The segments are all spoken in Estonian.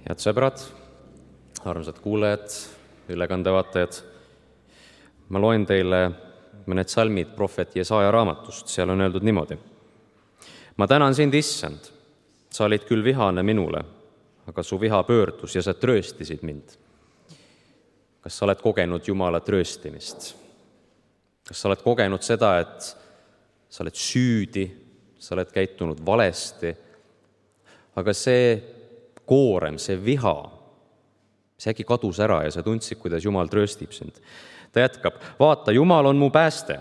Head sõbrad, armsad kuulajad, ülekandevaatajad, ma loen teile mõned salmid prohvet Jesaja raamatust, seal on öeldud niimoodi. Ma tänan sind, Issand, sa olid küll vihane minule, aga su viha pöördus ja sa trööstisid mind. Kas sa oled kogenud Jumala trööstimist? Kas sa oled kogenud seda, et sa oled süüdi, sa oled käitunud valesti, aga see koorem, see viha, see äkki kadus ära ja sa tundsid, kuidas Jumal trööstib sind. Ta jätkab, vaata, Jumal on mu pääste,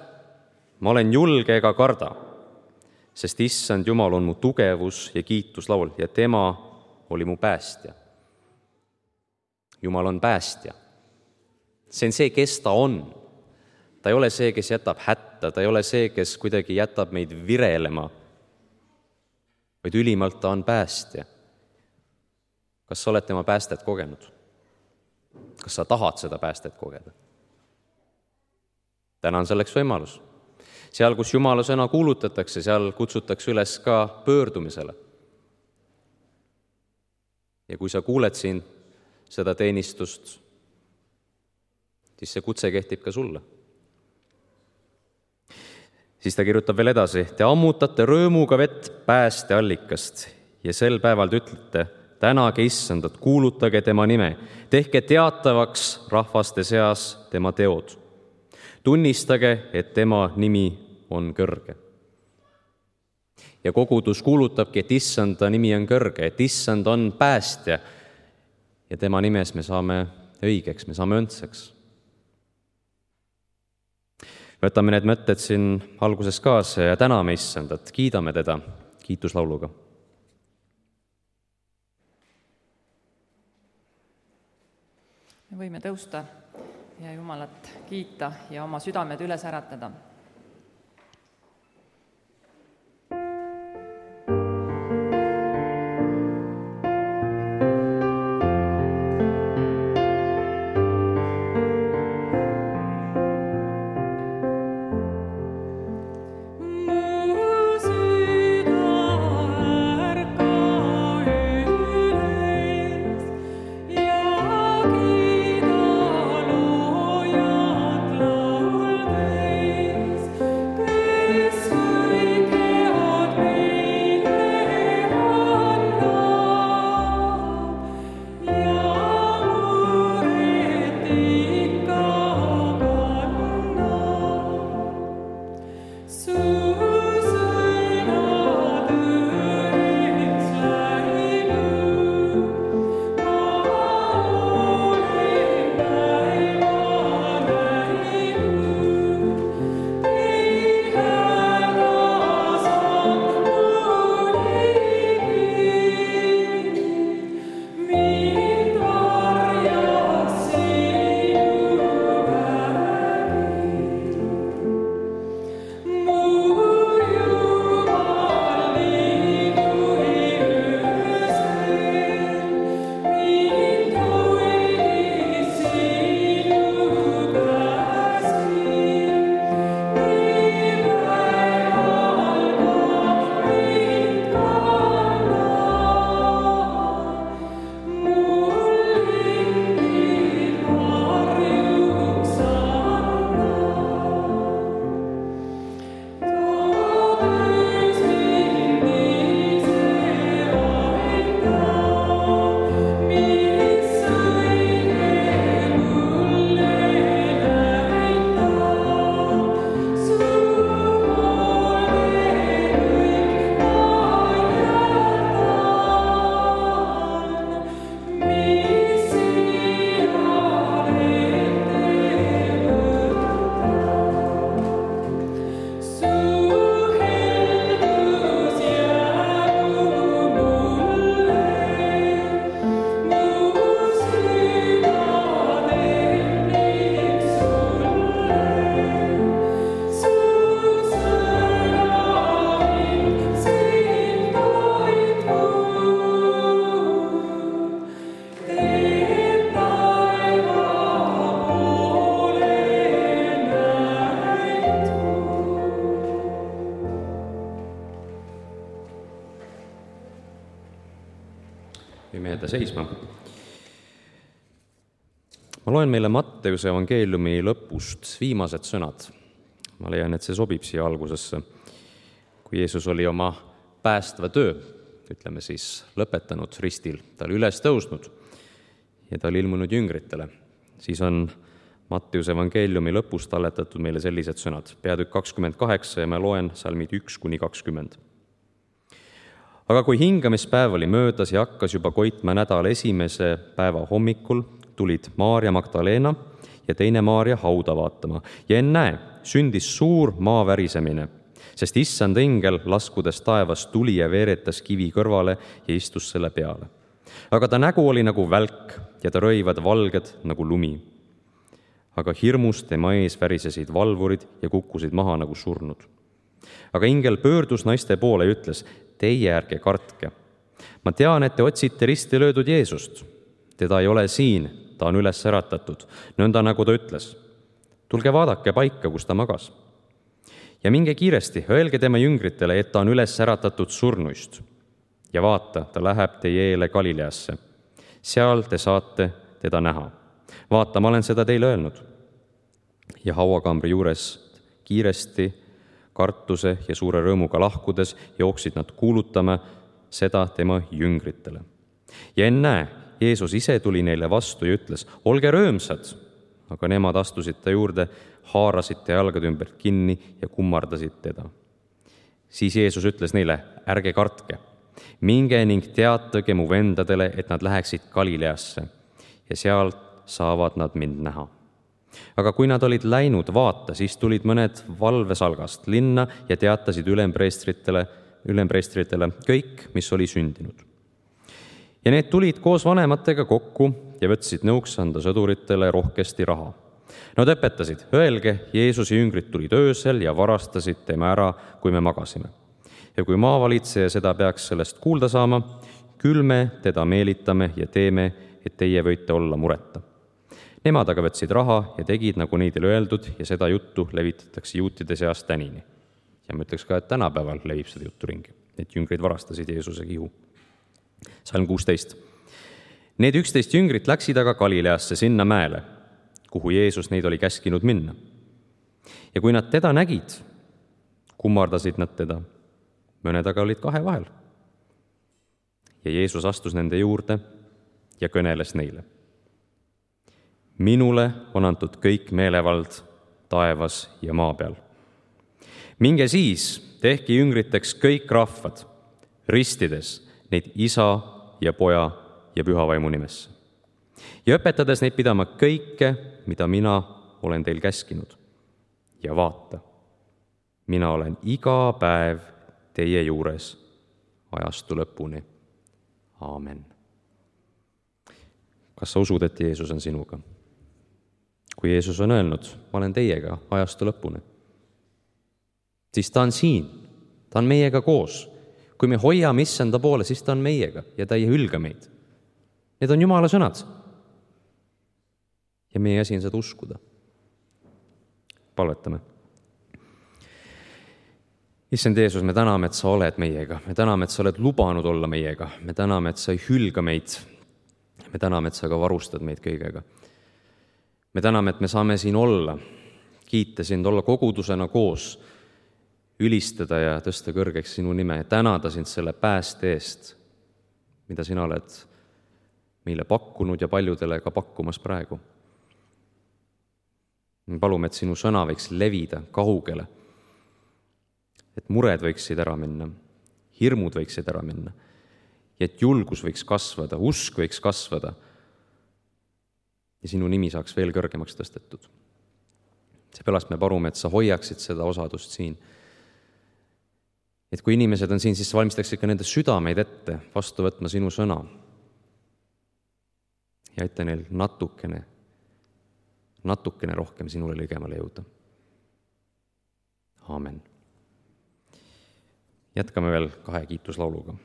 ma olen julge ega karda, sest Issand Jumal on mu tugevus ja kiituslaul ja tema oli mu päästja. Jumal on päästja. See on see, kes ta on. Ta ei ole see, kes jätab hätta, ta ei ole see, kes kuidagi jätab meid virelema, vaid ülimalt ta on päästja. Kas sa oled tema päästet kogenud? Kas sa tahad seda päästet kogeda? Täna on selleks võimalus. Seal, kus Jumala sõna kuulutatakse, seal kutsutakse üles ka pöördumisele. Ja kui sa kuuled siin seda teenistust, siis see kutse kehtib ka sulle. Siis ta kirjutab veel edasi, te ammutate rõõmuga vett päästeallikast ja sel päeval te ütlete, tänage Issandat, kuulutage tema nime, tehke teatavaks rahvaste seas tema teod. Tunnistage, et tema nimi on kõrge. Ja kogudus kuulutabki, et Issanda nimi on kõrge, et Issand on päästja ja tema nimes me saame õigeks, me saame õndseks. Võtame need mõtted siin alguses kaasa ja täname Issandat, kiidame teda kiituslauluga. Me võime tõusta ja Jumalat kiita ja oma südamed üles äratada. Thank you. võime jääda seisma. Ma loen meile Matteuse evangeeliumi lõpust viimased sõnad. Ma leian, et see sobib siia algusesse. Kui Jeesus oli oma päästva töö, ütleme siis, lõpetanud ristil, ta oli üles tõusnud ja ta oli ilmunud jüngritele, siis on Matteuse evangeeliumi lõpus talletatud meile sellised sõnad, peatükk 28 ja ma loen salmid 1-20. Aga kui hingamispäev oli möödas ja hakkas juba koitma nädala esimese päeva hommikul, tulid Maarja Magdalena ja teine Maarja hauda vaatama ja ennäe, sündis suur maavärisemine, sest issand engel laskudes taevast tuli ja veeretas kivi kõrvale ja istus selle peale. Aga ta nägu oli nagu välk ja ta rõivad valged nagu lumi. Aga hirmust tema ees värisesid valvurid ja kukkusid maha nagu surnud. Aga ingel pöördus naiste poole ja ütles, teie ärge kartke. Ma tean, et te otsite risti löödud Jeesust. Teda ei ole siin, ta on üles äratatud, nõnda nagu ta ütles. Tulge vaadake paika, kus ta magas. Ja minge kiiresti, öelge tema jüngritele, et ta on üles äratatud surnuist. Ja vaata, ta läheb teie eele Galileasse. Seal te saate teda näha. Vaata, ma olen seda teile öelnud. Ja hauakambri juures kiiresti, kartuse ja suure rõõmuga lahkudes jooksid nad kuulutama seda tema jüngritele. Ja ennäe, Jeesus ise tuli neile vastu ja ütles, olge rõõmsad, aga nemad astusid ta juurde, haarasid ta jalgade ümbert kinni ja kummardasid teda. Siis Jeesus ütles neile, ärge kartke, minge ning teatage mu vendadele, et nad läheksid Galileasse ja sealt saavad nad mind näha. Aga kui nad olid läinud vaata, siis tulid mõned valvesalgast linna ja teatasid ülempreestritele kõik, mis oli sündinud. Ja need tulid koos vanematega kokku ja võtsid nõuks anda sõduritele rohkesti raha. Nad õpetasid, öelge, Jeesuse jüngrid tulid öösel ja varastasid tema ära, kui me magasime. Ja kui maavalitseja seda peaks sellest kuulda saama, küll me teda meelitame ja teeme, et teie võite olla mureta. Nemad aga võtsid raha ja tegid, nagu neidele öeldud, ja seda juttu levitatakse juutide seas tänini. Ja ma ütleks ka, et tänapäeval levib seda juttu ringi, et jüngrid varastasid Jeesuse kihu. Salm 16. Need 11 jüngrit läksid aga Galileasse sinna mäele, kuhu Jeesus neid oli käskinud minna. Ja kui nad teda nägid, kummardasid nad teda, mõned aga olid kahe vahel. Ja Jeesus astus nende juurde ja kõneles neile. Minule on antud kõik meelevald taevas ja maa peal. Minge siis, tehke jüngriteks kõik rahvad, ristides neid isa ja poja ja pühavaimu nimesse. Ja õpetades neid pidama kõike, mida mina olen teil käskinud. Ja vaata, mina olen iga päev teie juures ajastu lõpuni. Aamen. Kas sa usud, et Jeesus on sinuga? Kui Jeesus on öelnud, ma olen teiega ajastu lõpuni, siis ta on siin, ta on meiega koos. Kui me hoiame issanda poole, siis ta on meiega ja ta ei hülga meid. Need on Jumala sõnad. Ja meie asi on seda uskuda. Palvetame. Issand Jeesus, me täname, et sa oled meiega. Me täname, et sa oled lubanud olla meiega. Me täname, et sa ei hülga meid. Me täname, et sa ka varustad meid kõigega. Me täname, et me saame siin olla, kiita sind, olla kogudusena koos, ülistada ja tõsta kõrgeks sinu nime ja tänada sind selle pääste eest, mida sina oled meile pakkunud ja paljudele ka pakkumas praegu. Me palume, et sinu sõna võiks levida kaugele, et mured võiksid ära minna, hirmud võiksid ära minna ja et julgus võiks kasvada, usk võiks kasvada ja sinu nimi saaks veel kõrgemaks tõstetud. Seepärast me palume, et sa hoiaksid seda osadust siin. Et kui inimesed on siin, siis valmistaksid ka nende südameid ette vastu võtma sinu sõna. Ja aita neil natukene rohkem sinule ligemale jõuda. Aamen. Jätkame veel 2 kiituslauluga.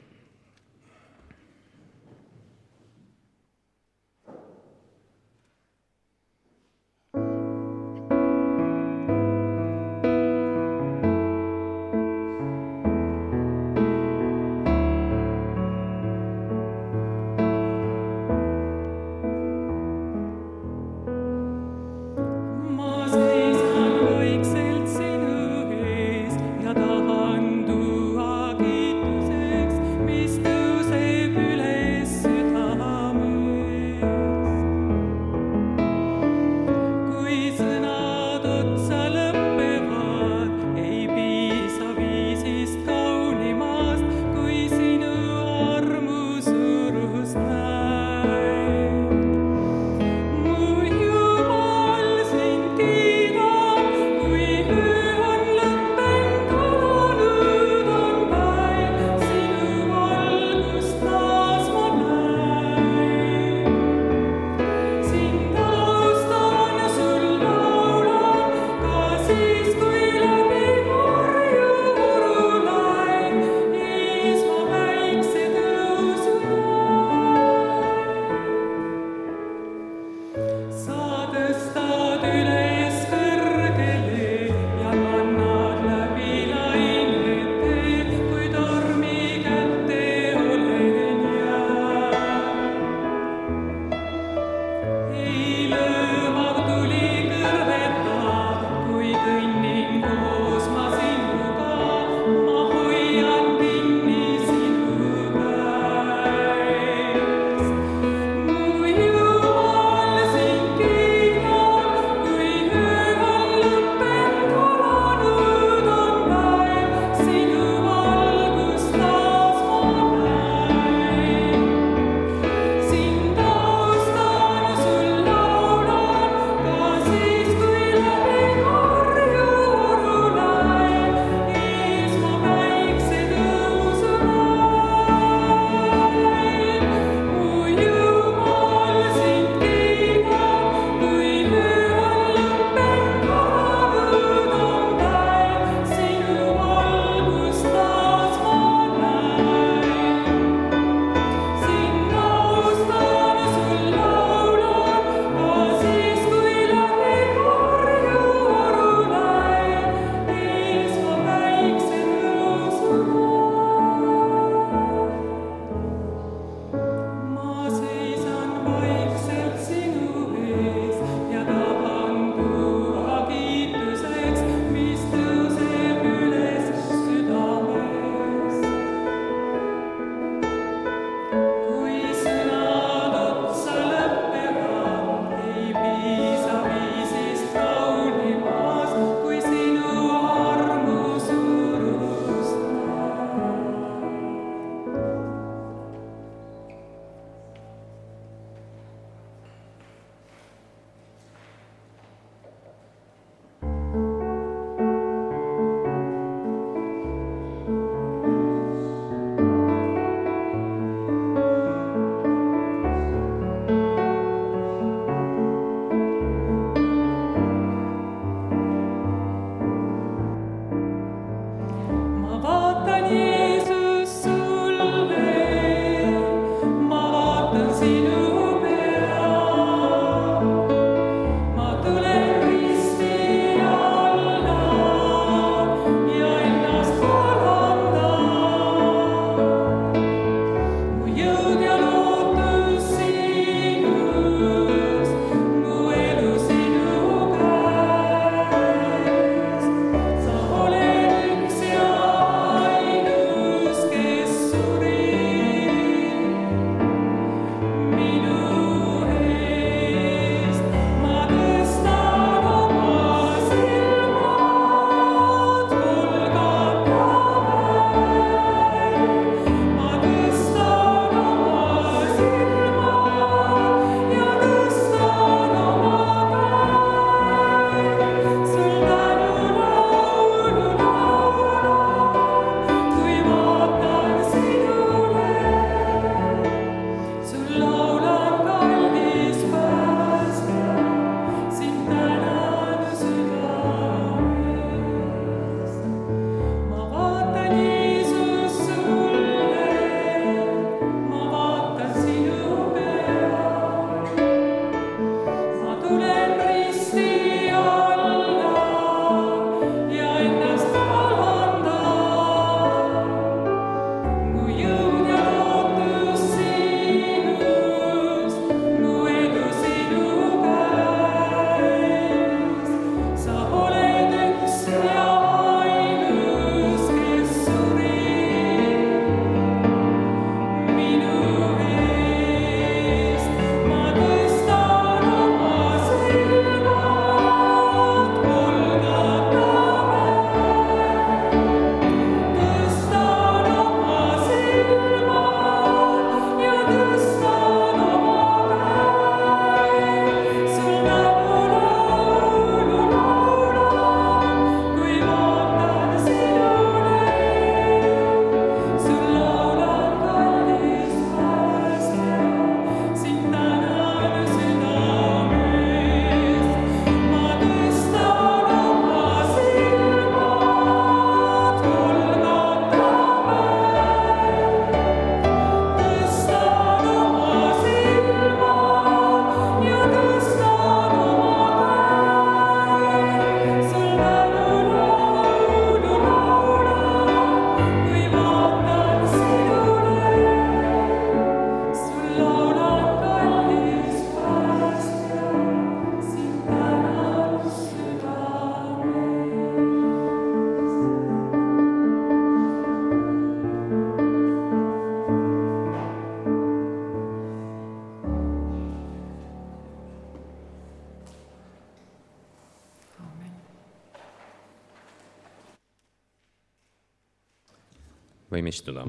võime istuda.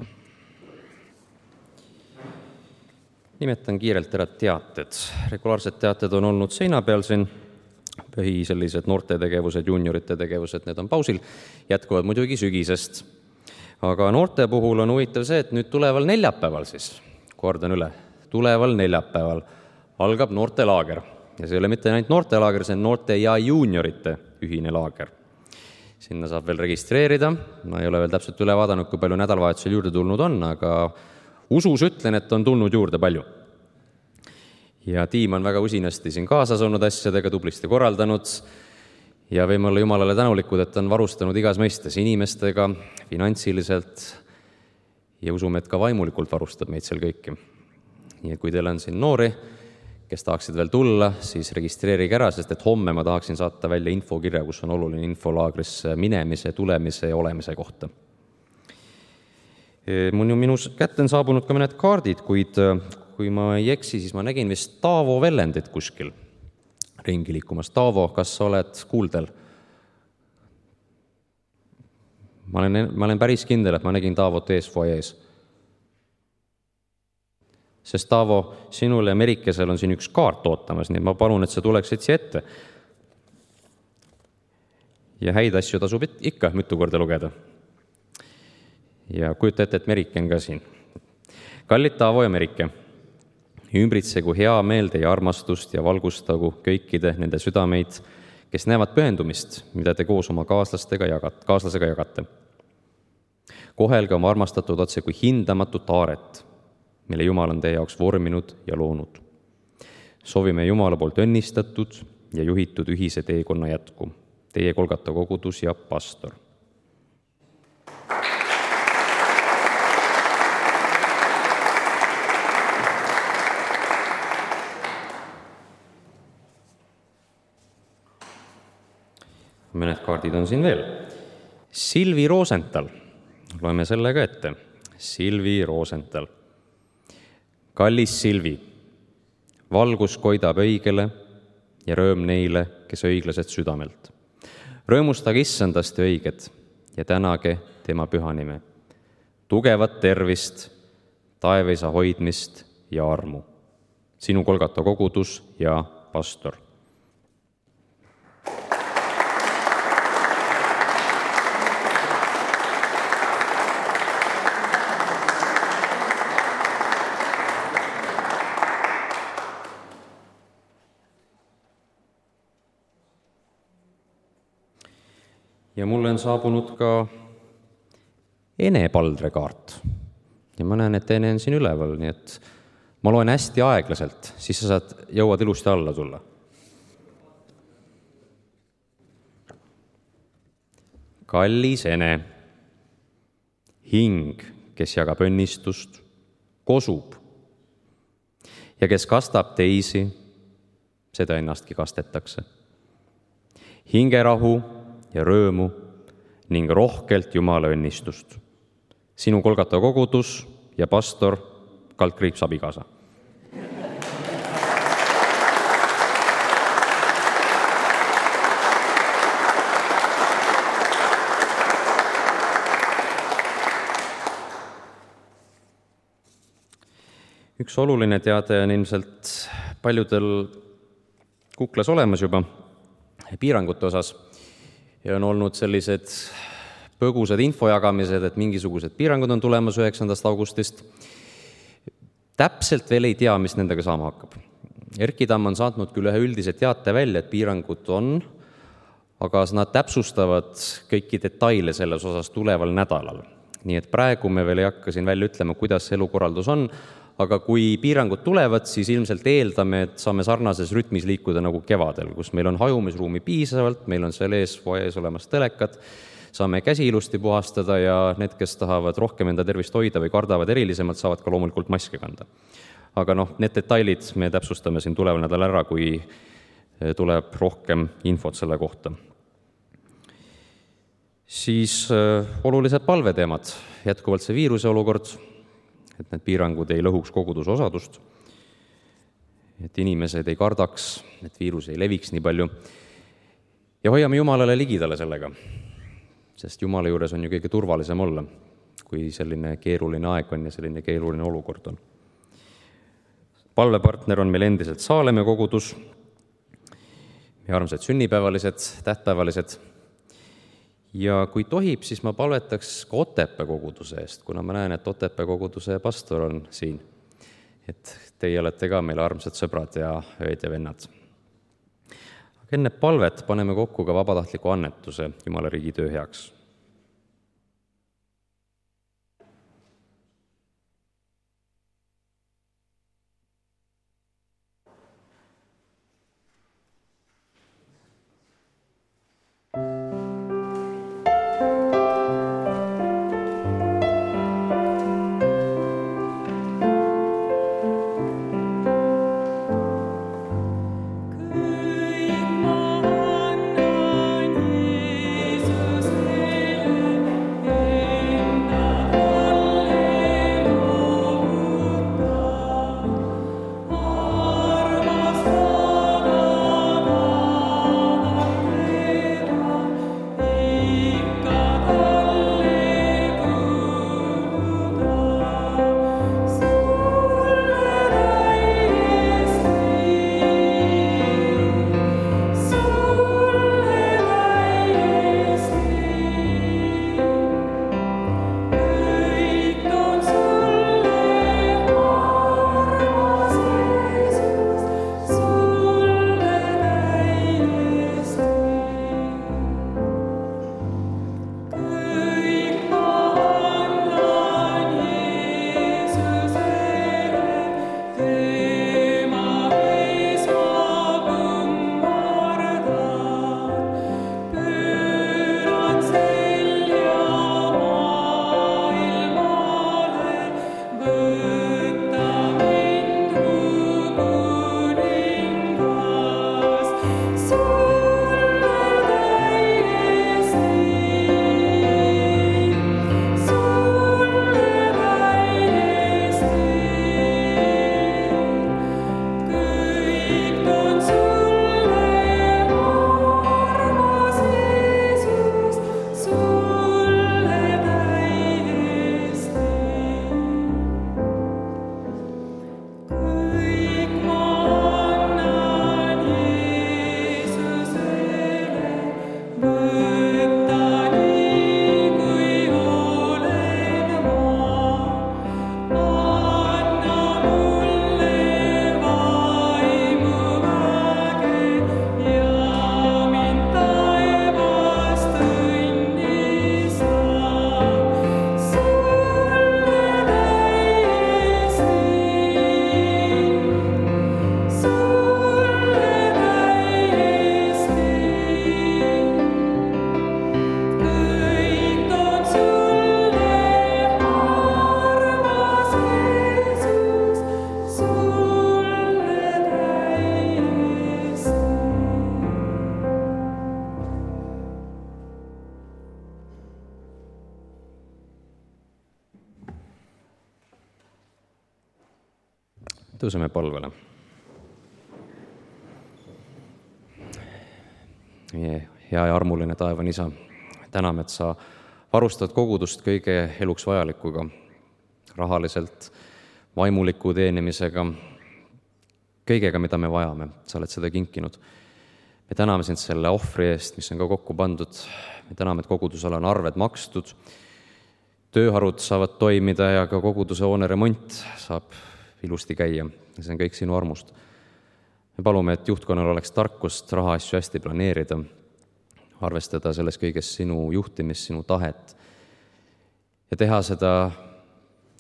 Nimetan kiirelt ära teated. Regulaarsed teated on olnud seina peal siin, põhi sellised noortetegevused, juuniorite tegevused, need on pausil, jätkuvad muidugi sügisest. Aga noorte puhul on huvitav see, et nüüd tuleval neljapäeval siis, kordan üle, tuleval neljapäeval algab noortelaager. Ja see ei ole mitte ainult noortelaager, see on noorte ja juuniorite ühine laager. Sinna saab veel registreerida, ma ei ole veel täpselt üle vaadanud, kui palju nädalavahetusel juurde tulnud on, aga usus ütlen, et on tulnud juurde palju. Ja tiim on väga usinasti siin kaasas olnud asjadega, tublisti korraldanud ja võime olla Jumalale tänulikud, et on varustanud igas mõistes inimestega, finantsiliselt ja usume, et ka vaimulikult varustab meid seal kõiki. Nii et kui teil on siin noori, kes tahaksid veel tulla, siis registreerige ära, sest et homme ma tahaksin saata välja infokirja, kus on oluline infolaagrisse minemise, tulemise ja olemise kohta. Minu kätte on saabunud ka mõned kaardid, kuid kui ma ei eksi, siis ma nägin vist Taavo Vellendit kuskil ringi liikumas. Taavo, kas sa oled kuuldel? Ma olen päris kindel, et ma nägin Taavot ees foajees. Sest Taavo, sinul ja Merikesel on siin üks kaart ootamas, nii ma palun, et sa tuleksid siia ette. Ja häid asju tasub ikka mitu korda lugeda. Ja kujuta ette, et Merike on ka siin. Kallid Taavo ja Merike, ümbritsegu hea meel teie armastust ja valgustagu kõikide nende südameid, kes näevad pühendumist, mida te koos oma kaaslasega jagate. Kohelge oma armastatud otse kui hindamatut aaret, mille Jumal on teie jaoks vorminud ja loonud. Soovime Jumala poolt õnnistatud ja juhitud ühise teekonna jätku. Teie Kolgata kogudus ja pastor. Mõned kaardid on siin veel. Silvi Rosenthal. Loeme selle ka ette. Silvi Rosenthal. Kallis Silvi, valgus koidab õigele ja rõõm neile, kes õiglased südamelt. Rõõmustage issandast ja õiget ja tänage tema püha nime. Tugevat tervist, taevaisa hoidmist ja armu. Sinu Kolgata kogudus ja pastor. Ja mulle on saabunud ka Ene Paldre kaart. Ja ma näen, et Ene on siin üleval, nii et ma loen hästi aeglaselt, siis sa jõuad ilusti alla tulla. Kallis Ene, hing, kes jagab õnnistust, kosub. Ja kes kastab teisi, seda ennastki kastetakse. Hingerahu ja rõõmu ning rohkelt Jumala õnnistust. Sinu Kolgata kogudus ja pastor Kaldkriips abikaasa. Üks oluline teade on ilmselt paljudel kuklas olemas juba piirangute osas. Ja on olnud sellised põgusad infojagamised, et mingisugused piirangud on tulemas 9. augustist. Täpselt veel ei tea, mis nendega saama hakkab. Erki Tamm on saatnud küll ühe üldise teate välja, et piirangud on, aga nad täpsustavad kõiki detaile selles osas tuleval nädalal. Nii et praegu me veel ei hakka siin välja ütlema, kuidas elukorraldus on, aga kui piirangud tulevad, siis ilmselt eeldame, et saame sarnases rütmis liikuda nagu kevadel, kus meil on hajumisruumi piisavalt, meil on seal ees olemas telekad, saame käsi ilusti puhastada ja need, kes tahavad rohkem enda tervist hoida või kardavad erilisemalt, saavad ka loomulikult maske kanda. Aga need detailid me täpsustame siin tuleval nädal ära, kui tuleb rohkem infot selle kohta. Siis olulised palveteemad, jätkuvalt see viiruse olukord, et need piirangud ei lõhuks koguduse osadust, et inimesed ei kardaks, et viirus ei leviks nii palju ja hoiame Jumalale ligidale sellega, sest Jumala juures on ju kõige turvalisem olla, kui selline keeruline aeg on ja selline keeruline olukord on. Palvepartner on meil endiselt Saalemma kogudus, meie armsad sünnipäevalised, tähtpäevalised. Ja kui tohib, siis ma palvetaks ka Otepää koguduse eest, kuna ma näen, et Otepää koguduse pastor on siin. Et teie olete ka meile armsad sõbrad ja ööd ja vennad. Aga enne palvet paneme kokku ka vabatahtliku annetuse Jumala riigi töö heaks. Kõik ma annan Jeesus. Tõuseme palvele. Meie hea ja armuline taevane Isa, täname, et sa varustad kogudust kõige eluks vajalikuga, rahaliselt, vaimuliku teenimisega, kõigega, mida me vajame, sa oled seda kinkinud. Me täname sind selle ohvri eest, mis on ka kokku pandud. Me täname, et kogudusele on arved makstud, tööharud saavad toimida ja ka koguduse hoone remont saab ilusti käia. See on kõik sinu armust. Me palume, et juhtkonnal oleks tarkust rahaasju hästi planeerida, arvestada selles kõiges sinu juhtimist, sinu tahet ja teha seda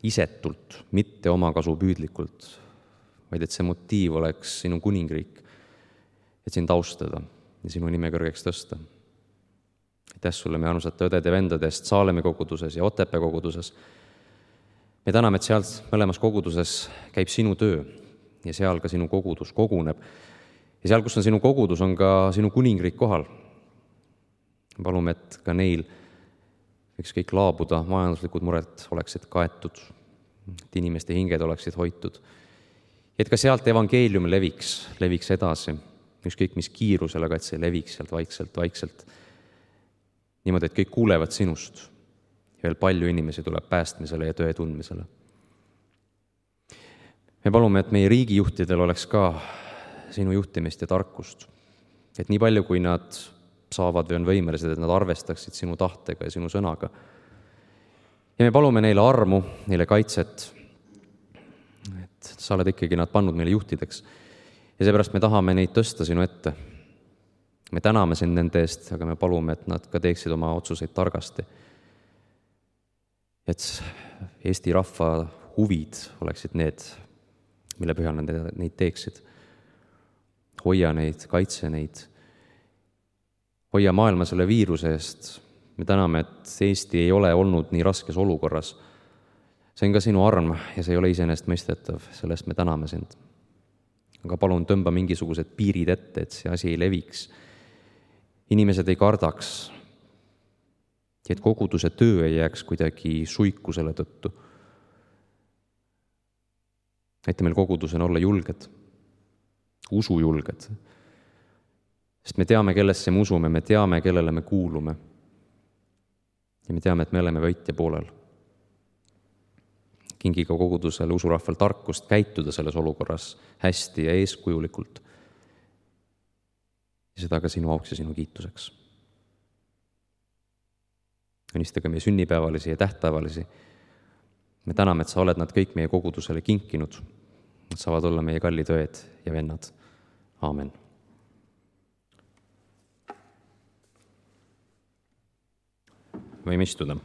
isetult, mitte omakasupüüdlikult, vaid et see motiiv oleks sinu kuningriik, et sind austada ja sinu nime kõrgeks tõsta. Aitäh sulle meie armsate õdede ja vendade eest Saalemi koguduses ja Otepää koguduses. Me täname, et seal mõlemas koguduses käib sinu töö ja seal ka sinu kogudus koguneb. Ja seal, kus on sinu kogudus, on ka sinu kuningriik kohal. Palume, et ka neil võiks kõik laabuda, majanduslikud mured oleksid kaetud, et inimeste hinged oleksid hoitud. Et ka sealt evangeelium leviks edasi, ükskõik mis kiirusel, aga et see leviks sealt vaikselt. Niimoodi, et kõik kuulevad sinust ja veel palju inimesi tuleb päästmisele ja tõe tundmisele. Me palume, et meie riigijuhtidel oleks ka sinu juhtimist ja tarkust, et nii palju, kui nad saavad või on võimelised, et nad arvestaksid sinu tahtega ja sinu sõnaga. Ja me palume neile armu, neile kaitset, et sa oled ikkagi nad pannud meile juhtideks. Ja seepärast me tahame neid tõsta sinu ette. Me täname sind nende eest, aga me palume, et nad ka teeksid oma otsuseid targasti. Et Eesti rahva huvid oleksid need, mille põhjal nad neid teeksid. Hoia neid, kaitse neid. Hoia maailma selle viiruse eest. Me täname, et Eesti ei ole olnud nii raskes olukorras. See on ka sinu arm ja see ei ole iseenesest mõistetav. Sellest me täname sind. Aga palun tõmba mingisugused piirid ette, et see asi ei leviks. Inimesed ei kardaks, et koguduse töö ei jääks kuidagi suiku selle tõttu. Aita meil kogudusena olla julged, usujulged. Sest me teame, kellesse me usume, me teame, kellele me kuulume. Ja me teame, et me oleme võitja poolel. Kingi ka kogudusele usurahval tarkust käituda selles olukorras hästi ja eeskujulikult. Ja seda ka sinu auks ja sinu kiituseks. Õnnistage meie sünnipäevalisi ja tähtpäevalisi. Me täname, et sa oled nad kõik meie kogudusele kinkinud. Nad saavad olla meie kallid õed ja vennad. Aamen. Võime istuda.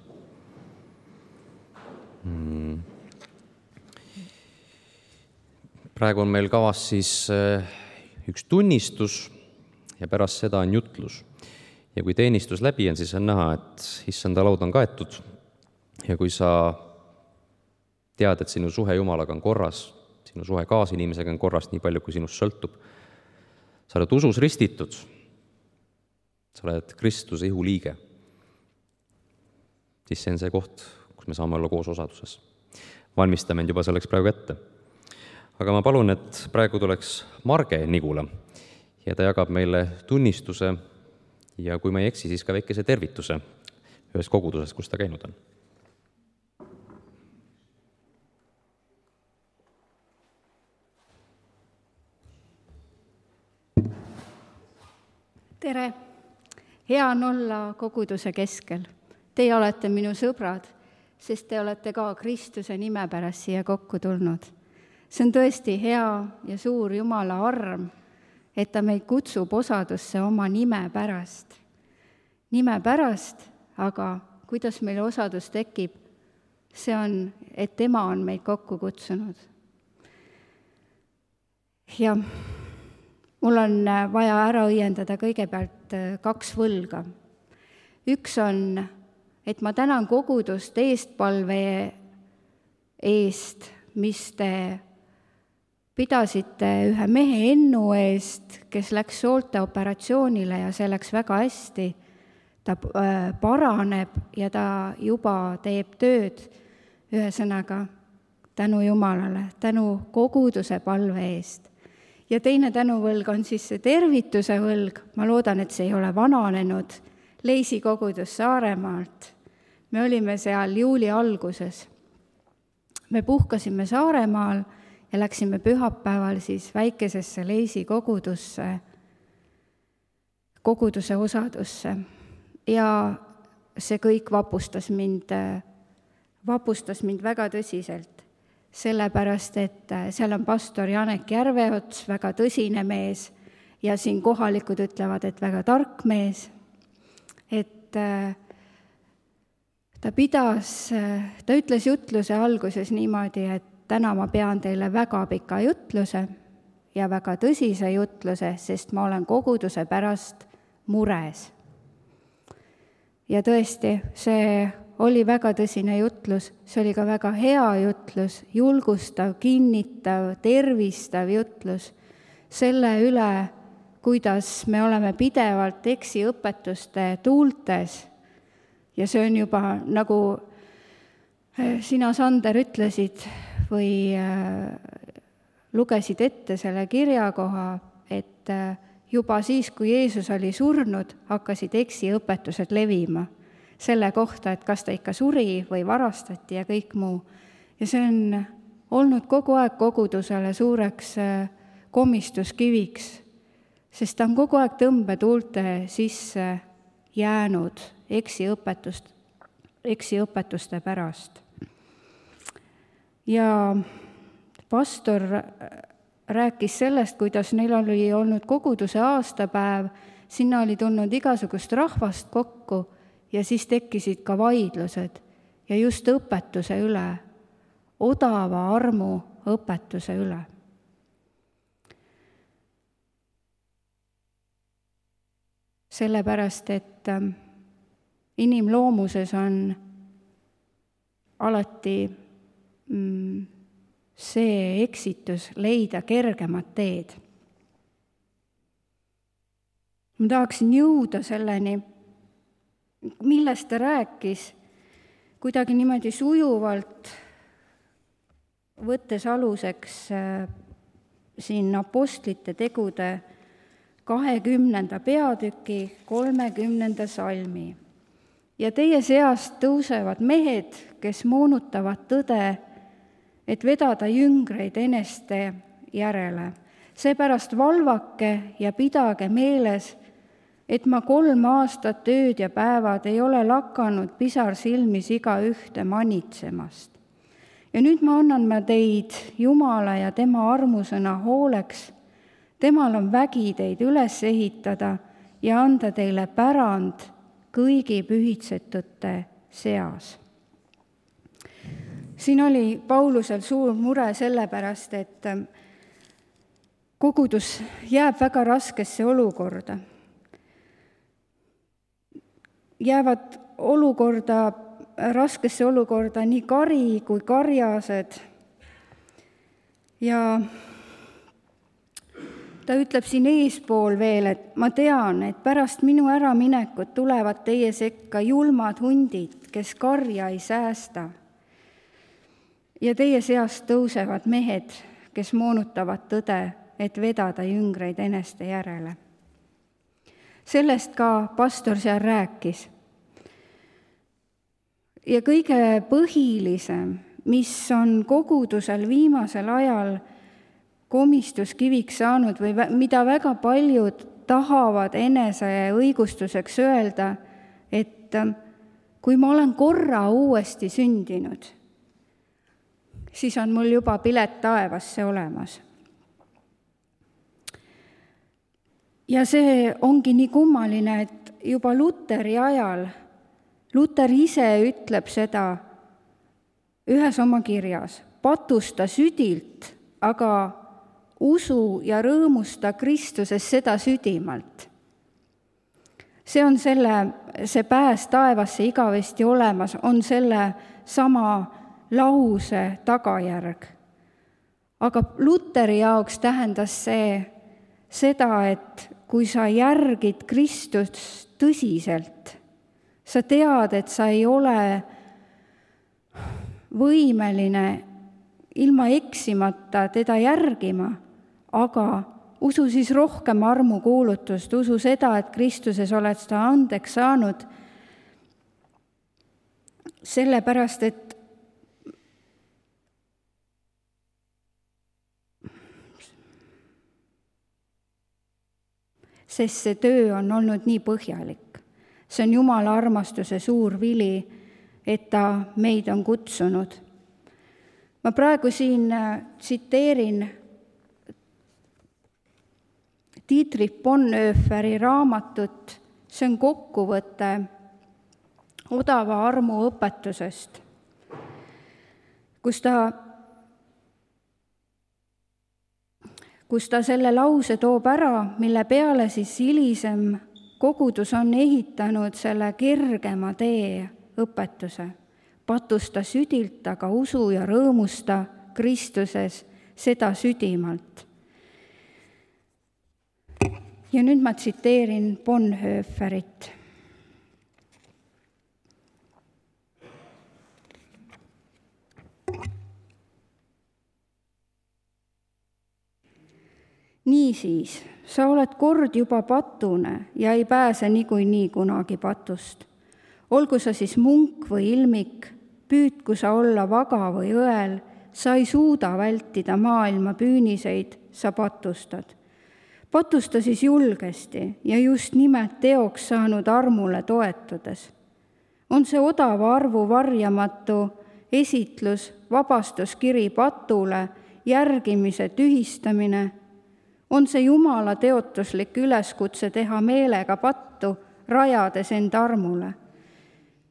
Praegu on meil kavas siis üks tunnistus ja pärast seda on jutlus. Ja kui teenistus läbi on, siis on näha, et issanda laud on kaetud. Ja kui sa tead, et sinu suhe Jumalaga on korras, sinu suhe kaasinimesega on korras nii palju, kui sinust sõltub, sa oled usus ristitud, sa oled Kristuse ihu liige, siis see on see koht, kus me saame olla koos osaduses. Valmistame end juba selleks praegu ette. Aga ma palun, et praegu tuleks Marge Nigula ja ta jagab meile tunnistuse ja kui ma ei eksi, siis ka väikese tervituse ühes koguduses, kus ta käinud on. Tere! Hea on olla koguduse keskel. Teie olete minu sõbrad, sest te olete ka Kristuse nime pärast siia kokku tulnud. See on tõesti hea ja suur Jumala arm, et ta meid kutsub osadusse oma nime pärast. Nime pärast, aga kuidas meil osadus tekib, see on, et tema on meid kokku kutsunud. Ja mul on vaja ära õiendada kõigepealt 2 võlga. Üks on, et ma tänan kogudust eestpalve eest, mis te pidasite ühe mehe Ennu eest, kes läks soolteoperatsioonile ja see läks väga hästi. Ta paraneb ja ta juba teeb tööd. Ühesõnaga, tänu Jumalale, tänu koguduse palve eest. Ja teine tänuvõlg on siis see tervituse võlg. Ma loodan, et see ei ole vananenud. Leisi kogudus Saaremaalt. Me olime seal juuli alguses. Me puhkasime Saaremaal ja läksime pühapäeval siis väikesesse Leisi koguduse osadusse. Ja see kõik vapustas mind väga tõsiselt. Sellepärast, et seal on pastor Janek Järveots, väga tõsine mees, ja siin kohalikud ütlevad, et väga tark mees, et ta ütles jutluse alguses niimoodi, et täna ma pean teile väga pika jutluse ja väga tõsise jutluse, sest ma olen koguduse pärast mures. Ja tõesti, see oli väga tõsine jutlus, see oli ka väga hea jutlus, julgustav, kinnitav, tervistav jutlus selle üle, kuidas me oleme pidevalt eksiõpetuste tuultes. Ja see on juba, nagu sina, Sander, ütlesid või lugesid ette selle kirjakoha, et juba siis, kui Jeesus oli surnud, hakkasid eksiõpetused levima selle kohta, et kas ta ikka suri või varastati ja kõik muu. Ja see on olnud kogu aeg kogudusele suureks komistuskiviks, sest ta on kogu aeg tõmbetuulte sisse jäänud eksiõpetuste pärast. Ja pastor rääkis sellest, kuidas neil oli olnud koguduse aastapäev, sinna oli tulnud igasugust rahvast kokku, ja siis tekkisid ka vaidlused ja just õpetuse üle, odava armu õpetuse üle. Sellepärast, et inimloomuses on alati see eksitus leida kergemat teed. Ma tahaksin jõuda selleni, millest ta rääkis, kuidagi niimoodi sujuvalt, võttes aluseks siin Apostlite tegude 20. peatüki 30. salmi. Ja teie seast tõusevad mehed, kes moonutavad tõde, et vedada jüngreid eneste järele. Seepärast valvake ja pidage meeles, et ma 3 aastat ööd ja päevad ei ole lakanud pisar silmis iga ühte manitsemast. Ja nüüd ma annan teid Jumala ja tema armusõna hooleks. Temal on vägi teid üles ehitada ja anda teile pärand kõigi pühitsetute seas. Siin oli Paulusel suur mure sellepärast, et kogudus jääb väga raskesse olukorda. Jäävad raskesse olukorda nii kari kui karjased. Ja ta ütleb siin eespool veel, et ma tean, et pärast minu äraminekut tulevad teie sekka julmad hundid, kes karja ei säästa. Ja teie seast tõusevad mehed, kes moonutavad tõde, et vedada jüngreid eneste järele. Sellest ka pastor seal rääkis. Ja kõige põhilisem, mis on kogudusel viimasel ajal komistuskiviks saanud või mida väga paljud tahavad enese õigustuseks öelda, et kui ma olen korra uuesti sündinud, siis on mul juba pilet taevasse olemas. Ja see ongi nii kummaline, et juba Luteri ajal, Luter ise ütleb seda ühes oma kirjas, patusta südilt, aga usu ja rõõmusta Kristuses seda südimalt. See on see pääs taevasse igavesti olemas, on selle sama lause tagajärg. Aga Luteri jaoks tähendas see seda, et kui sa järgid Kristust tõsiselt, sa tead, et sa ei ole võimeline ilma eksimata teda järgima, aga usu siis rohkem armukuulutust, usu seda, et Kristuses oled seda andeks saanud, sellepärast, et sest see töö on olnud nii põhjalik. See on Jumala armastuse suur vili, et ta meid on kutsunud. Ma praegu siin tsiteerin Dietrich Bonhoefferi raamatut, see on kokkuvõte odava armu õpetusest, kus ta selle lause toob ära, mille peale siis hilisem kogudus on ehitanud selle kergema tee õpetuse. Patusta südilt, aga usu ja rõõmusta Kristuses seda südimalt. Ja nüüd ma tsiteerin Bonhoefferit. Niisiis, sa oled kord juba patune ja ei pääse niikuinii kunagi patust. Olgu sa siis munk või ilmik, püüdku sa olla vaga või õel, sa ei suuda vältida maailma püüniseid, sa patustad. Patusta siis julgesti ja just nimelt teoks saanud armule toetudes. On see odava arvu varjamatu esitlus, vabastuskiri patule, järgimise tühistamine, on see Jumala teotuslik üleskutse teha meelega pattu, rajades end armule.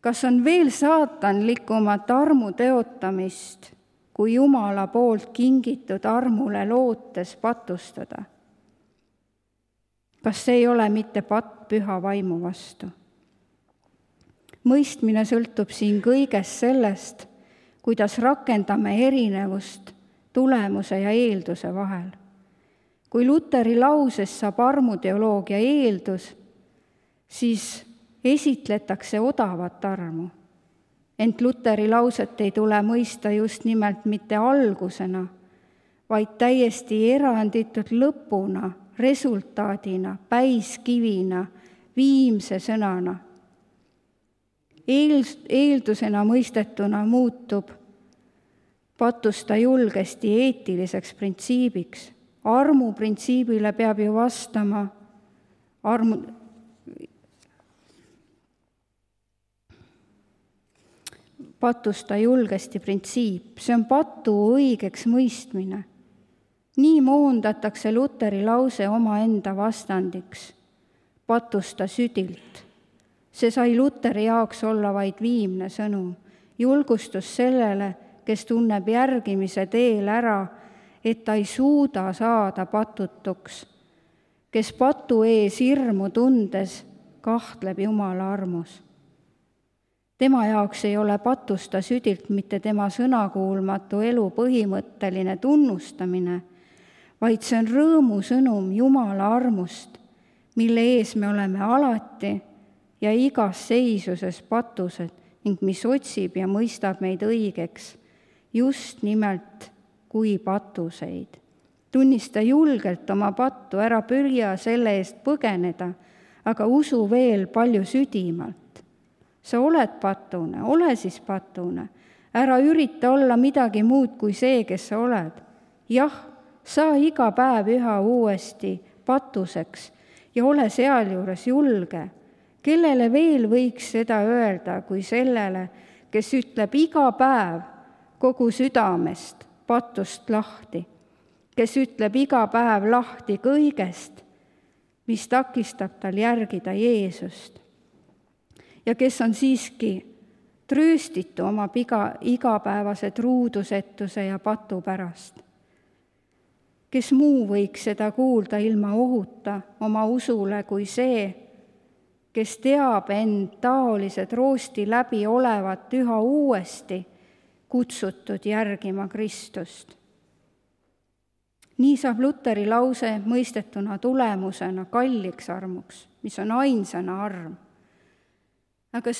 Kas on veel saatanlikumat armu teotamist, kui Jumala poolt kingitud armule lootes patustada? Kas see ei ole mitte patt püha vaimu vastu? Mõistmine sõltub siin kõigest sellest, kuidas rakendame erinevust tulemuse ja eelduse vahel. Kui Luteri lauses saab armuteoloogia eeldus, siis esitletakse odavat armu. Ent Luteri lauset ei tule mõista just nimelt mitte algusena, vaid täiesti eranditult lõpuna, resultaadina, päiskivina, viimse sõnana. Eeldusena mõistetuna muutub patusta julgesti eetiliseks printsiibiks. Armu printsiibile peab ju vastama patusta julgesti printsiip. See on patu õigeks mõistmine. Nii moondatakse Luteri lause omaenda vastandiks. Patusta südilt. See sai Luteri jaoks olla vaid viimne sõnum. Julgustus sellele, kes tunneb järgimise teel ära, et ta ei suuda saada patutuks, kes patu ees hirmu tundes kahtleb Jumala armus. Tema jaoks ei ole patusta südilt mitte tema sõnakuulmatu elu põhimõtteline tunnustamine, vaid see on rõõmusõnum Jumala armust, mille ees me oleme alati ja igas seisuses patused ning mis otsib ja mõistab meid õigeks just nimelt kui patuseid. Tunnista julgelt oma pattu, ära pürja selle eest põgeneda, aga usu veel palju südimalt. Sa oled patune, ole siis patune. Ära ürita olla midagi muud kui see, kes sa oled. Jah, saa iga päev üha uuesti patuseks ja ole sealjuures julge. Kellele veel võiks seda öelda kui sellele, kes ütleb iga päev kogu südamest patust lahti, kes ütleb iga päev lahti kõigest, mis takistab tal järgida Jeesust ja kes on siiski trööstitu oma igapäevase truudusetuse ja patu pärast. Kes muu võiks seda kuulda ilma ohuta oma usule kui see, kes teab end taolised roosti läbi olevat üha uuesti kutsutud järgima Kristust. Nii saab Luteri lause mõistetuna tulemusena kalliks armuks, mis on ainsana arm. Aga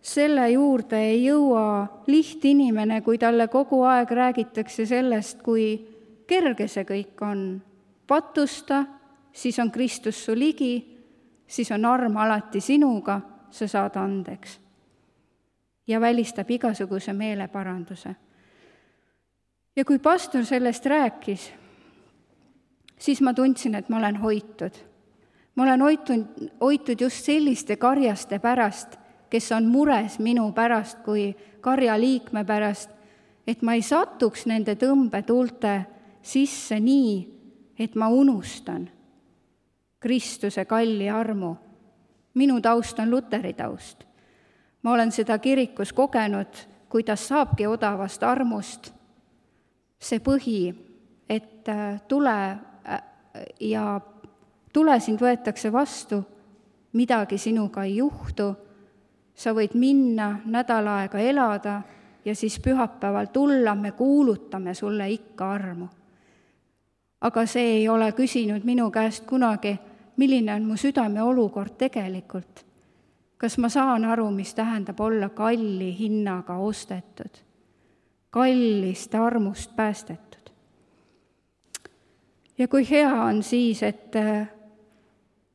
selle juurde ei jõua lihtinimene, kui talle kogu aeg räägitakse sellest, kui kerge see kõik on. Patusta, siis on Kristus su ligi, siis on arm alati sinuga, sa saad andeks. Ja välistab igasuguse meeleparanduse. Ja kui pastor sellest rääkis, siis ma tundsin, et ma olen hoitud. Ma olen hoitud just selliste karjaste pärast, kes on mures minu pärast kui karjaliikme pärast, et ma ei satuks nende tõmbetuulte sisse nii, et ma unustan Kristuse kalli armu. Minu taust on Luteri taust. Ma olen seda kirikus kogenud, kuidas saabki odavast armust see põhi, et tule ja tule sind võetakse vastu, midagi sinuga ei juhtu, sa võid minna nädal aega elada ja siis pühapäeval tulla, me kuulutame sulle ikka armu. Aga see ei ole küsinud minu käest kunagi, milline on mu südame olukord tegelikult. Kas ma saan aru, mis tähendab olla kalli hinnaga ostetud, kallist armust päästetud. Ja kui hea on siis, et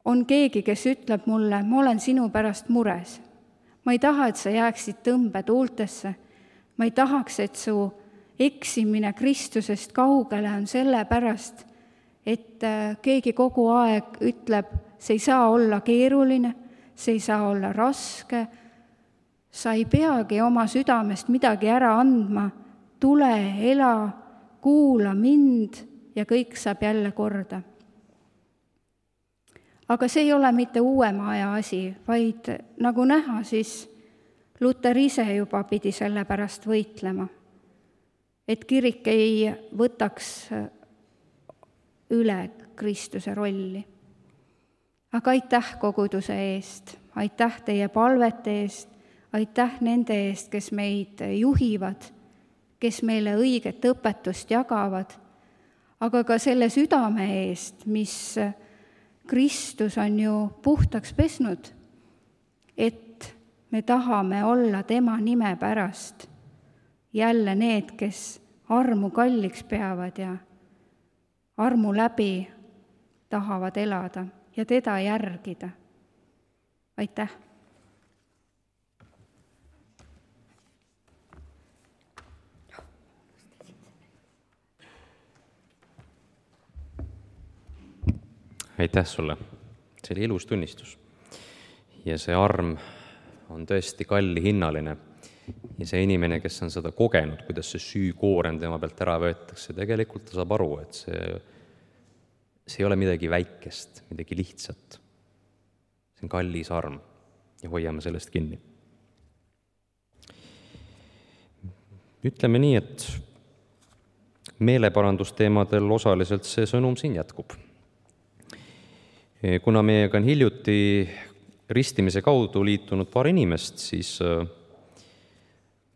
on keegi, kes ütleb mulle, ma olen sinu pärast mures. Ma ei taha, et sa jääksid tõmbetuultesse. Ma ei tahaks, et su eksimine Kristusest kaugele on selle pärast, et keegi kogu aeg ütleb, see ei saa olla keeruline, see ei saa olla raske, sa ei peagi oma südamest midagi ära andma, tule, ela, kuula mind ja kõik saab jälle korda. Aga see ei ole mitte uuema aja asi, vaid nagu näha, siis Luter ise juba pidi selle pärast võitlema, et kirik ei võtaks üle Kristuse rolli. Aga aitäh koguduse eest, aitäh teie palvete eest, aitäh nende eest, kes meid juhivad, kes meile õiget õpetust jagavad, aga ka selle südame eest, mis Kristus on ju puhtaks pesnud, et me tahame olla tema nime pärast jälle need, kes armu kalliks peavad ja armu läbi tahavad elada ja teda järgida. Aitäh! Aitäh sulle! See oli ilus tunnistus. Ja see arm on tõesti kallihinnaline. Ja see inimene, kes on seda kogenud, kuidas see süükoorem tema pealt ära võetakse, tegelikult ta saab aru, et see ei ole midagi väikest, midagi lihtsat. See on kallis arm ja hoiame sellest kinni. Ütleme nii, et meeleparandusteemadel osaliselt see sõnum siin jätkub. Kuna meiega on hiljuti ristimise kaudu liitunud paar inimest, siis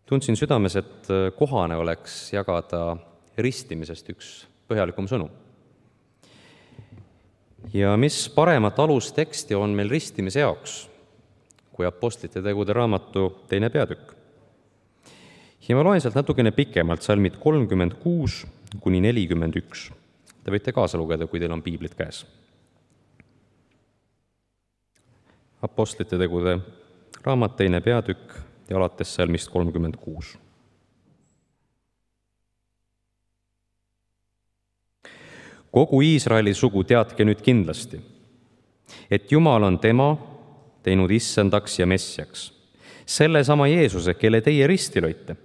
tundsin südames, et kohane oleks jagada ristimisest üks põhjalikum sõnum. Ja mis paremat alusteksti on meil ristimise jaoks, kui Apostlite tegude raamatu 2. peatükk. Ja ma loen sealt natukene pikemalt salmid 36 kuni 41. Te võite kaasa lugeda, kui teil on piiblid käes. Apostlite tegude raamat 2. peatükk ja alates salmist 36. Kogu Iisraeli sugu teadke nüüd kindlasti, et Jumal on tema teinud issandaks ja messiaks, sellesama Jeesuse, kelle teie risti lõite.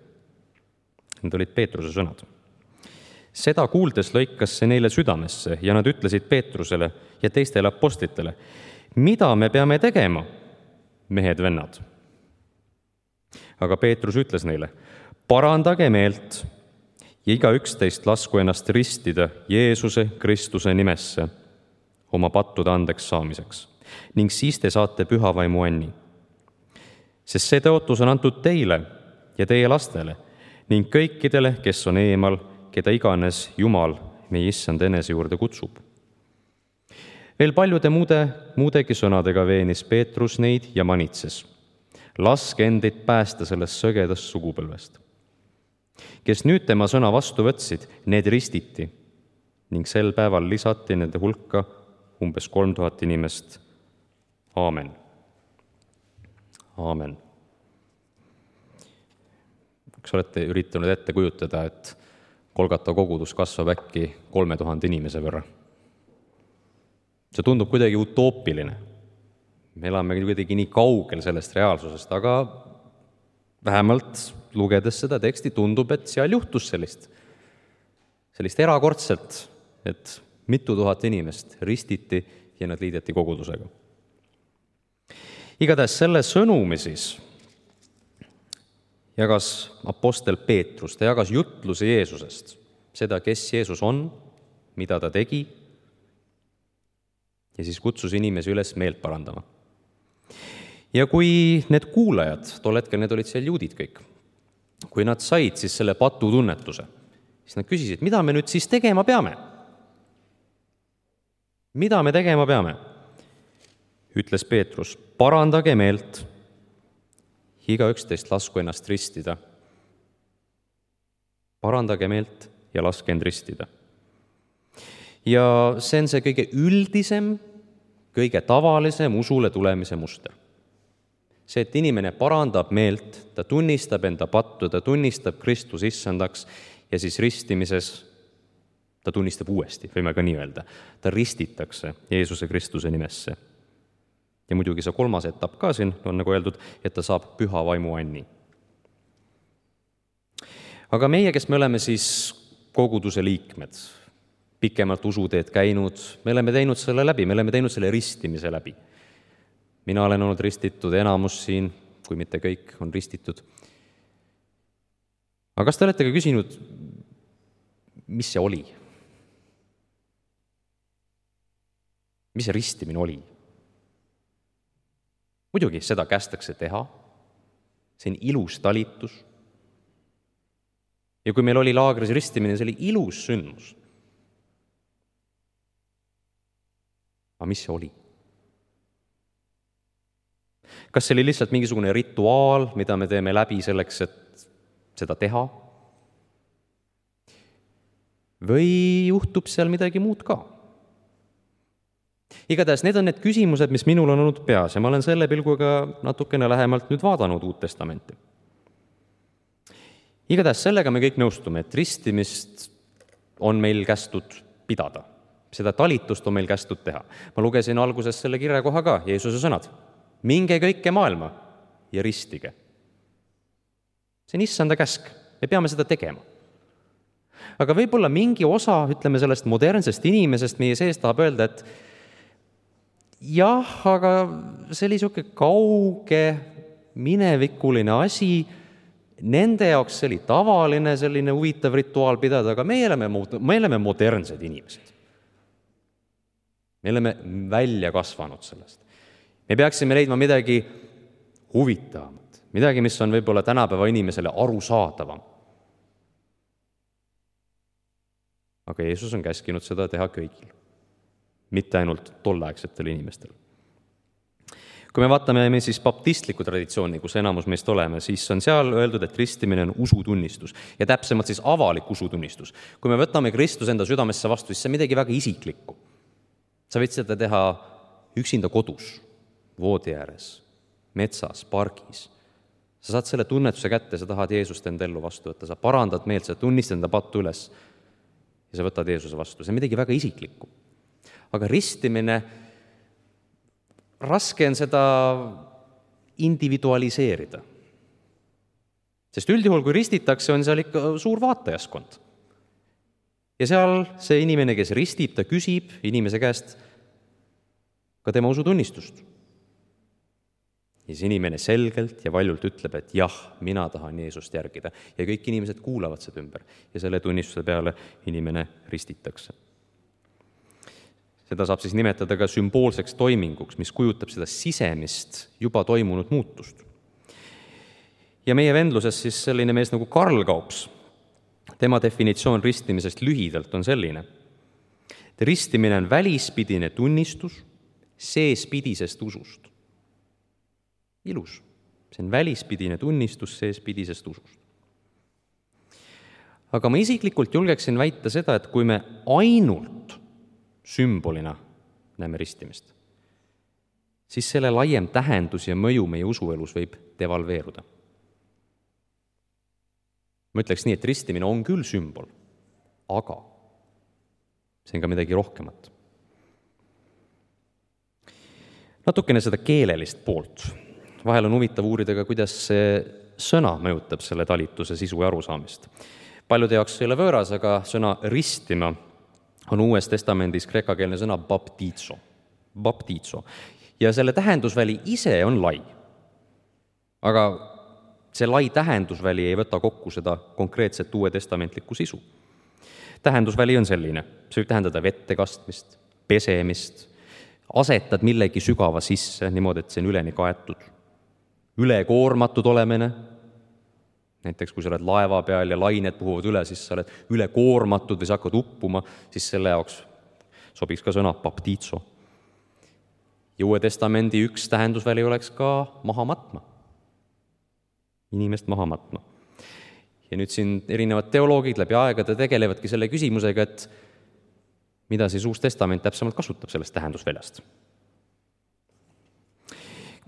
Need olid Peetruse sõnad. Seda kuuldes lõikas see neile südamesse ja nad ütlesid Peetrusele ja teistele apostlitele, mida me peame tegema, mehed-vennad? Aga Peetrus ütles neile, parandage meelt ja igaüks teist lasku ennast ristida Jeesuse Kristuse nimesse oma pattude andeks saamiseks ning siis te saate püha vaimu anni. Sest see tõotus on antud teile ja teie lastele ning kõikidele, kes on eemal, keda iganes Jumal meie issand enese juurde kutsub. Veel paljude muudegi sõnadega veenis Peetrus neid ja manitses. laske endid päästa sellest sõgedast sugupõlvest. Kes nüüd tema sõna vastu võtsid, need ristiti ning sel päeval lisati nende hulka umbes 3000 inimest. Aamen. Aamen. Kas olete üritanud ette kujutada, et Golgata kogudus kasvab äkki 3000 inimese võrra? See tundub kuidagi utoopiline. Me elame kuidagi nii kaugel sellest reaalsusest, aga vähemalt lugedes seda teksti tundub, et seal juhtus sellist erakordselt, et mitu tuhat inimest ristiti ja nad liideti kogudusega. Igatahes selle sõnumi siis jagas apostel Peetrus, ta jagas jutlusi Jeesusest, seda, kes Jeesus on, mida ta tegi, ja siis kutsus inimesi üles meelt parandama. Ja kui need kuulajad, tol hetkel need olid seal juudid kõik, kui nad said siis selle patutunnetuse, siis nad küsisid, mida me nüüd siis tegema peame? Mida me tegema peame? Ütles Peetrus, parandage meelt, igaüks teist lasku ennast ristida. Parandage meelt ja laske end ristida. Ja see on see kõige üldisem, kõige tavalisem usule tulemise muster. See, et inimene parandab meelt, ta tunnistab enda pattu, ta tunnistab Kristus issandaks ja siis ristimises ta tunnistab uuesti, võime ka nii öelda. Ta ristitakse Jeesuse Kristuse nimesse. Ja muidugi see kolmas etapp ka siin on nagu öeldud, et ta saab püha vaimu anni. Aga meie, kes me oleme siis koguduse liikmed, pikemalt usuteed käinud, me oleme teinud selle läbi, me oleme teinud selle ristimise läbi. Mina olen olnud ristitud, enamus siin, kui mitte kõik, on ristitud. Aga kas te olete ka küsinud, mis see oli? Mis see ristimine oli? Muidugi seda kästakse teha, see on ilus talitus. Ja kui meil oli laagris ristimine, see oli ilus sündmus. Aga mis see oli? Kas see oli lihtsalt mingisugune rituaal, mida me teeme läbi selleks, et seda teha? Või juhtub seal midagi muud ka? Igatahes need on need küsimused, mis minul on olnud peas ja ma olen selle pilguga natukene lähemalt nüüd vaadanud Uut Testamenti. Igatahes sellega me kõik nõustume, et ristimist on meil kästud pidada. Seda talitust on meil kästud teha. Ma lugesin alguses selle kirjakoha ka, Jeesuse sõnad. Minge kõike maailma ja ristige. See on issanda käsk. Me peame seda tegema. Aga võib-olla mingi osa, ütleme sellest modernsest inimesest meie sees tahab öelda, et jah, aga see oli niisugune kauge, minevikuline asi, nende jaoks see oli tavaline selline huvitav rituaal pidada, aga me oleme modernsed inimesed. Me oleme välja kasvanud sellest. Me peaksime leidma midagi huvitavamat, midagi, mis on võib-olla tänapäeva inimesele arusaadavam. Aga Jeesus on käskinud seda teha kõigil, mitte ainult tolleaegsetel inimestel. Kui me vaatame siis baptistlikku traditsiooni, kus enamus meist oleme, siis on seal öeldud, et ristimine on usutunnistus ja täpsemalt siis avalik usutunnistus. Kui me võtame Kristus enda südamesse vastu, siis see on midagi väga isiklikku. Sa võid seda teha üksinda kodus, voodi ääres, metsas, pargis. Sa saad selle tunnetuse kätte, sa tahad Jeesust enda ellu vastu võtta, sa parandad meelt, sa tunnistad enda pattu üles ja sa võtad Jeesuse vastu. See on midagi väga isiklikku. Aga ristimine, raske on seda individualiseerida. Sest üldjuhul, kui ristitakse, on seal ikka suur vaatajaskond. Ja seal see inimene, kes ristib, ta küsib inimese käest ka tema usutunnistust. Ja see inimene selgelt ja valjult ütleb, et jah, mina tahan Jeesust järgida. Ja kõik inimesed kuulavad seda ümber ja selle tunnistuse peale inimene ristitakse. Seda saab siis nimetada ka sümboolseks toiminguks, mis kujutab seda sisemist juba toimunud muutust. Ja meie vendluses siis selline mees nagu Karl Kaups, tema definitsioon ristimisest lühidalt on selline. Ristimine on välispidine tunnistus seespidisest usust. Ilus. See on välispidine tunnistus seespidisest usust. Aga ma isiklikult julgeksin väita seda, et kui me ainult sümbolina näeme ristimist, siis selle laiem tähendus ja mõju meie usuelus võib devalveeruda. Ma ütleks nii, et ristimine on küll sümbol, aga see on ka midagi rohkemat. Natukene seda keelelist poolt. Vahel on huvitav uurida ka, kuidas see sõna mõjutab selle talituse sisu ja arusaamist. Paljude jaoks ei ole võõras, aga sõna ristima on Uues Testamendis kreekakeelne sõna baptizo. Ja selle tähendusväli ise on lai. Aga see lai tähendusväli ei võta kokku seda konkreetset Uue Testamentlikku sisu. Tähendusväli on selline, see võib tähendada vette kastmist, pesemist, asetad millegi sügava sisse, niimoodi, et see on üleni kaetud, ülekoormatud olemine, näiteks kui sa oled laeva peal ja lained puhuvad üle, siis sa oled ülekoormatud või sa hakkad uppuma, siis selle jaoks sobiks ka sõna baptizo. Ja Uue Testamendi üks tähendusväli oleks ka maha matma, inimest maha matma. Ja nüüd siin erinevad teoloogid läbi aegade tegelevadki selle küsimusega, et mida siis Uus Testament täpsemalt kasutab sellest tähendusväljast.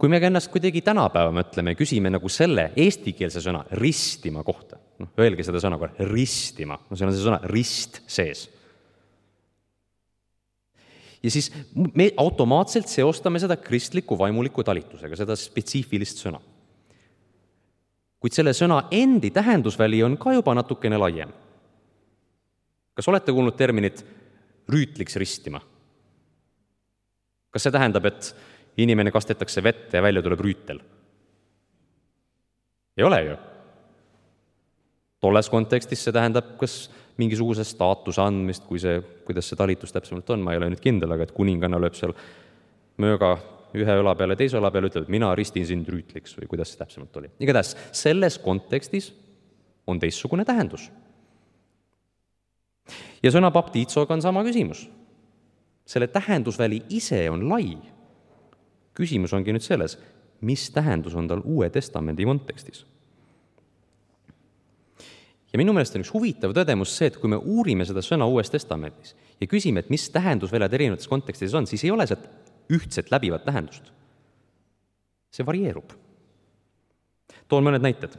Kui me ennast kuidagi tänapäeva mõtleme, küsime nagu selle eestikeelse sõna ristima kohta, öelge seda sõna korra, ristima, see on see sõna rist sees. Ja siis me automaatselt seostame seda kristliku vaimuliku talitusega, seda spetsiifilist sõna. Kuid selle sõna endi tähendusväli on ka juba natukene laiem. Kas olete kuulnud terminit rüütliks ristima? Kas see tähendab, et inimene kastetakse vette ja välja tuleb rüütel? Ei ole ju. Tolles kontekstis see tähendab kas mingisuguse staatuse andmist, kuidas see talitus täpsemalt on, ma ei ole nüüd kindel, aga et kuninganna lööb seal mööga ühe õla peale, teise õla peale, ütleb, et mina ristin sind rüütliks või kuidas see täpsemalt oli. Igatahes selles kontekstis on teistsugune tähendus. Ja sõna baptizoga on sama küsimus. Selle tähendusväli ise on lai. Küsimus ongi nüüd selles, mis tähendus on tal Uue Testamendi kontekstis. Ja minu meelest on üks huvitav tõdemus see, et kui me uurime seda sõna Uues Testamendis ja küsime, et mis tähendusväljad erinevates kontekstides on, siis ei ole sealt ühtset läbivat tähendust. See varieerub. Toon mõned näited.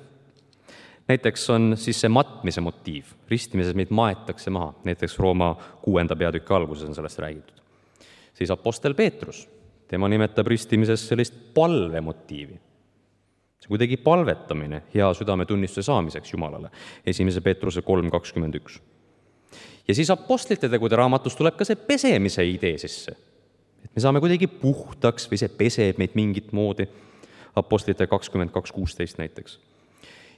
Näiteks on siis see matmise motiiv. Ristimises meid maetakse maha. Näiteks Rooma 6. peatüki alguses on sellest räägitud. Siis apostel Peetrus, tema nimetab ristimises sellist palvemotiivi. See kuidagi palvetamine hea südametunnistuse saamiseks Jumalale. 1. Peetruse 3.21. Ja siis apostlite tegude raamatus tuleb ka see pesemise idee sisse. Et me saame kuidagi puhtaks või see peseb meid mingit moodi. Apostlite 22.16 näiteks.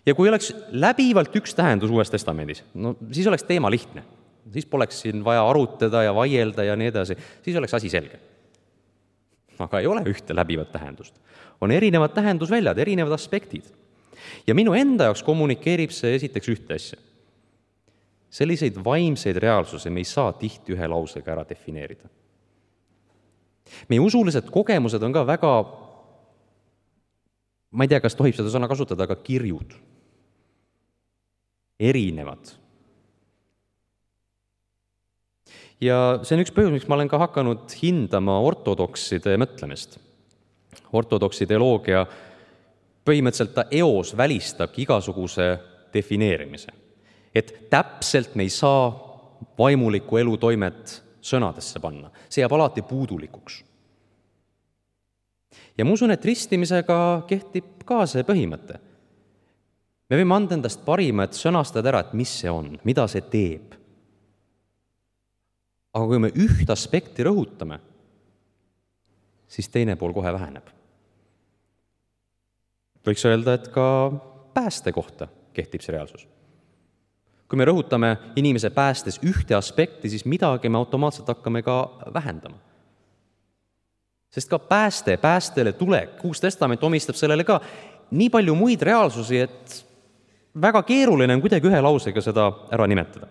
Ja kui oleks läbivalt üks tähendus Uues Testamendis, siis oleks teema lihtne. Siis poleks siin vaja arutada ja vaielda ja nii edasi. Siis oleks asi selge. Aga ei ole ühte läbivat tähendust. On erinevad tähendusväljad, erinevad aspektid. Ja minu enda jaoks kommunikeerib see esiteks ühte asja. Selliseid vaimseid reaalsusi me ei saa tihti ühe lausega ära defineerida. Meie usulised kogemused on ka väga, ma ei tea, kas tohib seda sõna kasutada, aga kirjud. Erinevad. Ja see on üks põhjus, miks ma olen ka hakanud hindama ortodokside mõtlemist. Ortodoksi teoloogia põhimõtteliselt ta eos välistabki igasuguse defineerimise. Et täpselt me ei saa vaimulikku elutoimet sõnadesse panna. See jääb alati puudulikuks. Ja ma usun, et ristimisega kehtib ka see põhimõte. Me võime anda endast parima, et sõnastada ära, et mis see on, mida see teeb. Aga kui me üht aspekti rõhutame, siis teine pool kohe väheneb. Võiks öelda, et ka pääste kohta kehtib see reaalsus. Kui me rõhutame inimese päästes ühte aspekti, siis midagi me automaatselt hakkame ka vähendama. Sest ka päästele tulek, Uus Testament omistab sellele ka nii palju muid reaalsusi, et väga keeruline on kuidagi ühe lausega seda ära nimetada.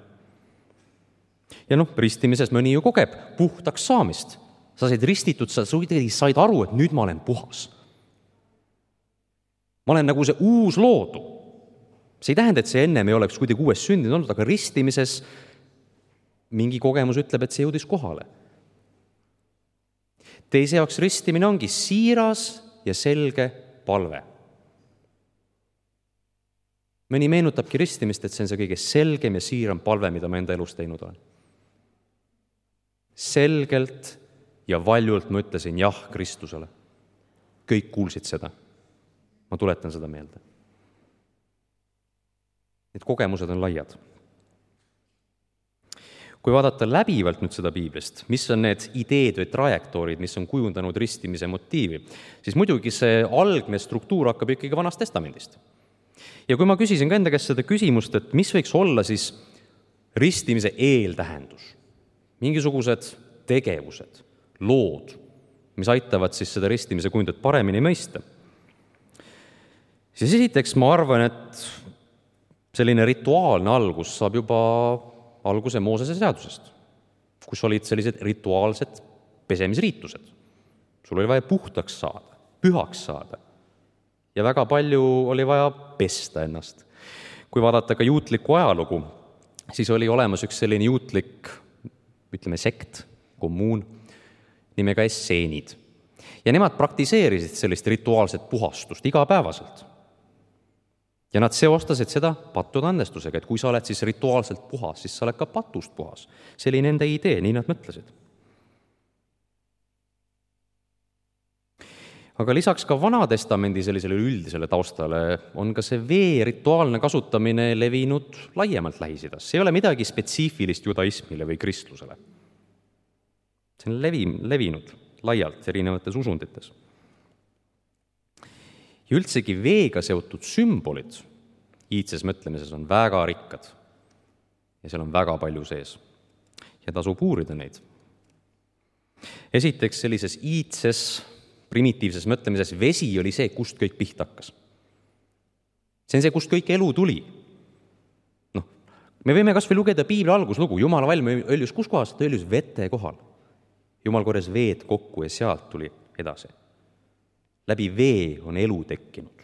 Ja ristimises mõni ju kogeb puhtaks saamist. Sa said ristitud, sa said aru, et nüüd ma olen puhas. ma olen nagu see uus loodu. See ei tähenda, et see ennem ei oleks kuidagi uues sündinud olnud, aga ristimises mingi kogemus ütleb, et see jõudis kohale. Teise jaoks ristimine ongi siiras ja selge palve. Mõni meenutabki ristimist, et see on see kõige selgem ja siiram palve, mida ma enda elus teinud olen. Selgelt ja valjult ma ütlesin jah Kristusele. Kõik kuulsid seda. Ma tuletan seda meelde. Need kogemused on laiad. Kui vaadata läbivalt nüüd seda piiblist, mis on need ideed või trajektoorid, mis on kujundanud ristimise motiivi, siis muidugi see algne struktuur hakkab ikkagi Vanast Testamendist. Ja kui ma küsisin ka enda käest seda küsimust, et mis võiks olla siis ristimise eeltähendus, mingisugused tegevused, lood, mis aitavad siis seda ristimise kujundit paremini mõista, siis esiteks ma arvan, et selline rituaalne algus saab juba alguse Moosese seadusest, kus olid sellised rituaalsed pesemisriitused. Sul oli vaja puhtaks saada, pühaks saada ja väga palju oli vaja pesta ennast. Kui vaadata ka juutlikku ajalugu, siis oli olemas üks selline juutlik, ütleme sekt, kommuun, nimega esseenid. Ja nemad praktiseerisid sellist rituaalset puhastust igapäevaselt. Ja nad seostasid seda pattude andestusega, et kui sa oled siis rituaalselt puhas, siis sa oled ka patust puhas. See oli nende idee, nii nad mõtlesid. Aga lisaks ka Vanatestamendi sellisele üldisele taustale on ka see vee rituaalne kasutamine levinud laiemalt Lähis-Idas. See ei ole midagi spetsiifilist judaismile või kristlusele. See on levinud laialt erinevates usundites. Ja üldsegi veega seotud sümbolid iidses mõtlemises on väga rikkad ja seal on väga palju sees ja tasub uurida neid. Esiteks sellises iidses primitiivses mõtlemises vesi oli see, kust kõik pihta hakkas. See on see, kust kõik elu tuli. Me võime kas või lugeda piibli alguslugu, Jumala valm õljus kus kohas, ta õljus vete kohal. Jumal korjas veed kokku ja sealt tuli edasi. Läbi vee on elu tekkinud.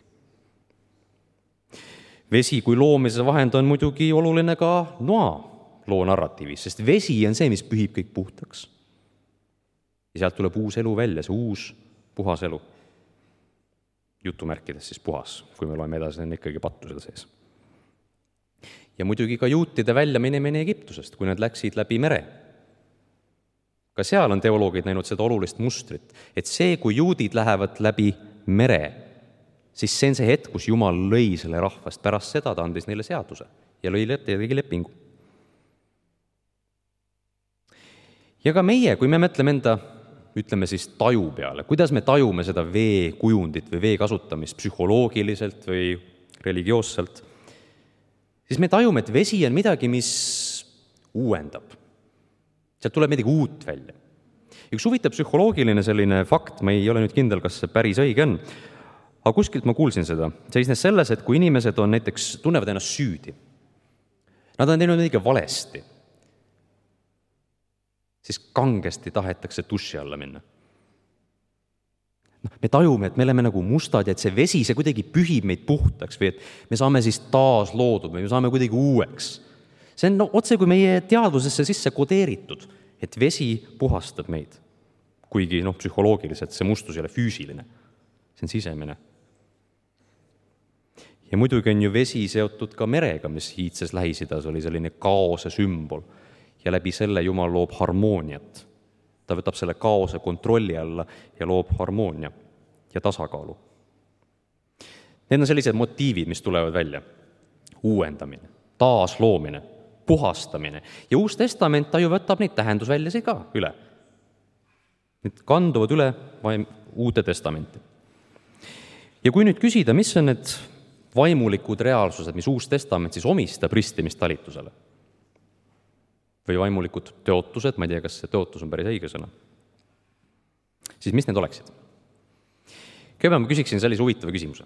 Vesi kui loomise vahend on muidugi oluline ka Noa loo narratiivis, sest vesi on see, mis pühib kõik puhtaks. Ja sealt tuleb uus elu välja, see uus puhas elu. Jutumärkides siis puhas, kui me loeme edasi, on ikkagi pattu seal sees. Ja muidugi ka juutide välja minemine Egiptusest, kui nad läksid läbi mere. Ka seal on teoloogid näinud seda olulist mustrit, et see, kui juudid lähevad läbi mere, siis see on see hetk, kus Jumal lõi selle rahvast. Pärast seda ta andis neile seaduse ja tegi lepingu. Ja ka meie, kui me mõtleme enda, ütleme siis taju peale, kuidas me tajume seda vee kujundit või vee kasutamist psühholoogiliselt või religioosselt, siis me tajume, et vesi on midagi, mis uuendab. Sealt tuleb midagi uut välja. Üks huvitav psühholoogiline selline fakt, ma ei ole nüüd kindel, kas see päris õige on, aga kuskilt ma kuulsin seda. Seisnes selles, et kui inimesed on näiteks, tunnevad ennast süüdi, nad on teinud midagi valesti, siis kangesti tahetakse duši alla minna. Me tajume, et me oleme nagu mustad ja et see vesi, see kuidagi pühib meid puhtaks või et me saame siis taas loodud või me saame kuidagi uueks. See on otse kui meie teadvusesse sisse kodeeritud, et vesi puhastab meid. Kuigi psühholoogiliselt see mustus ei ole füüsiline, see on sisemine. Ja muidugi on ju vesi seotud ka merega, mis iidses Lähis-Idas oli selline kaose sümbol ja läbi selle Jumal loob harmooniat. Ta võtab selle kaose kontrolli alla ja loob harmoonia ja tasakaalu. Need on sellised motiivid, mis tulevad välja. Uuendamine, taasloomine, puhastamine. Ja Uus Testament ta ju võtab neid tähendusväljasid ka üle. Need kanduvad üle Uude Testamenti. Ja kui nüüd küsida, mis on need vaimulikud reaalsused, mis Uus Testament siis omistab ristimistalitusele, või vaimulikud teotused, ma ei tea, kas see teotus on päris õige sõna, siis mis need oleksid? Kõigepealt ma küsiksin sellise huvitava küsimuse.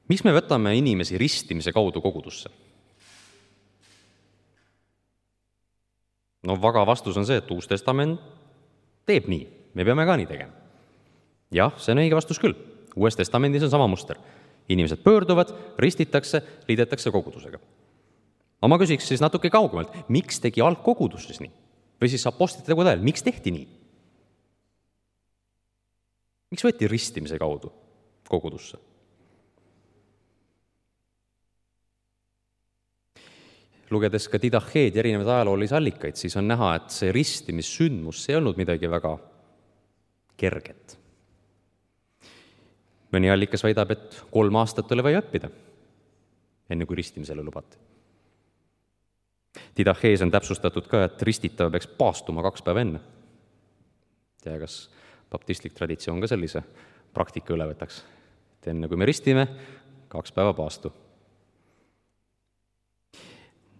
Miks me võtame inimesi ristimise kaudu kogudusse? Vaga vastus on see, et Uus Testament teeb nii. Me peame ka nii tegema. Jah, see on õige vastus küll. Uues Testamendis on sama muster. Inimesed pöörduvad, ristitakse, liidetakse kogudusega. Aga ma küsiks siis natuke kaugemalt, miks tegi algkogudus siis nii? Või siis apostlite tegude ajal, miks tehti nii? Miks võeti ristimise kaudu kogudusse? Lugedes ka Didacheed ja erinevaid ajaloolisi allikaid, siis on näha, et see ristimissündmus ei olnud midagi väga kerget. Mõni allikas väidab, et 3 aastat oli vaja õppida, enne kui ristimisele lubati. Didachees on täpsustatud ka, et ristitav peaks paastuma 2 päeva enne. Tea, kas baptistlik traditsioon ka sellise praktika üle võtaks. Et enne kui me ristime, 2 päeva paastu.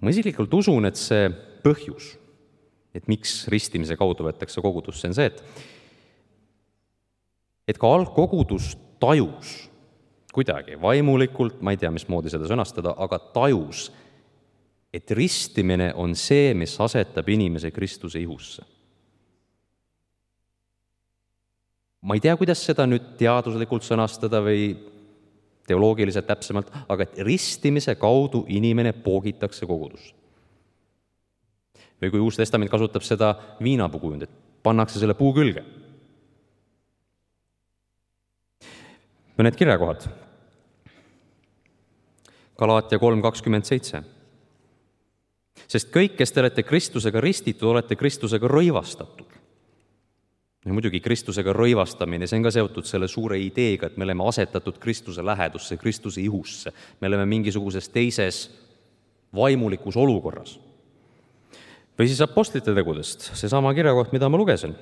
Ma isiklikult usun, et see põhjus, et miks ristimise kaudu võetakse kogudusse, on see, et ka algkogudus tajus kuidagi vaimulikult, ma ei tea, mismoodi seda sõnastada, aga tajus, et ristimine on see, mis asetab inimese Kristuse ihusse. Ma ei tea, kuidas seda nüüd teaduslikult sõnastada või teoloogiliselt täpsemalt, aga et ristimise kaudu inimene poogitakse kogudusse. Või kui Uus Testament kasutab seda viinapuu kujundit, pannakse selle puu külge. Mõned kirjakohad. Galaatia 3:27. Sest kõik, kes te olete Kristusega ristitud, olete Kristusega rõivastatud. Ja muidugi Kristusega rõivastamine, see on ka seotud selle suure ideega, et me oleme asetatud Kristuse lähedusse, Kristuse ihusse. Me oleme mingisuguses teises vaimulikus olukorras. Või siis apostlite tegudest, seesama kirjakoht, mida ma lugesin.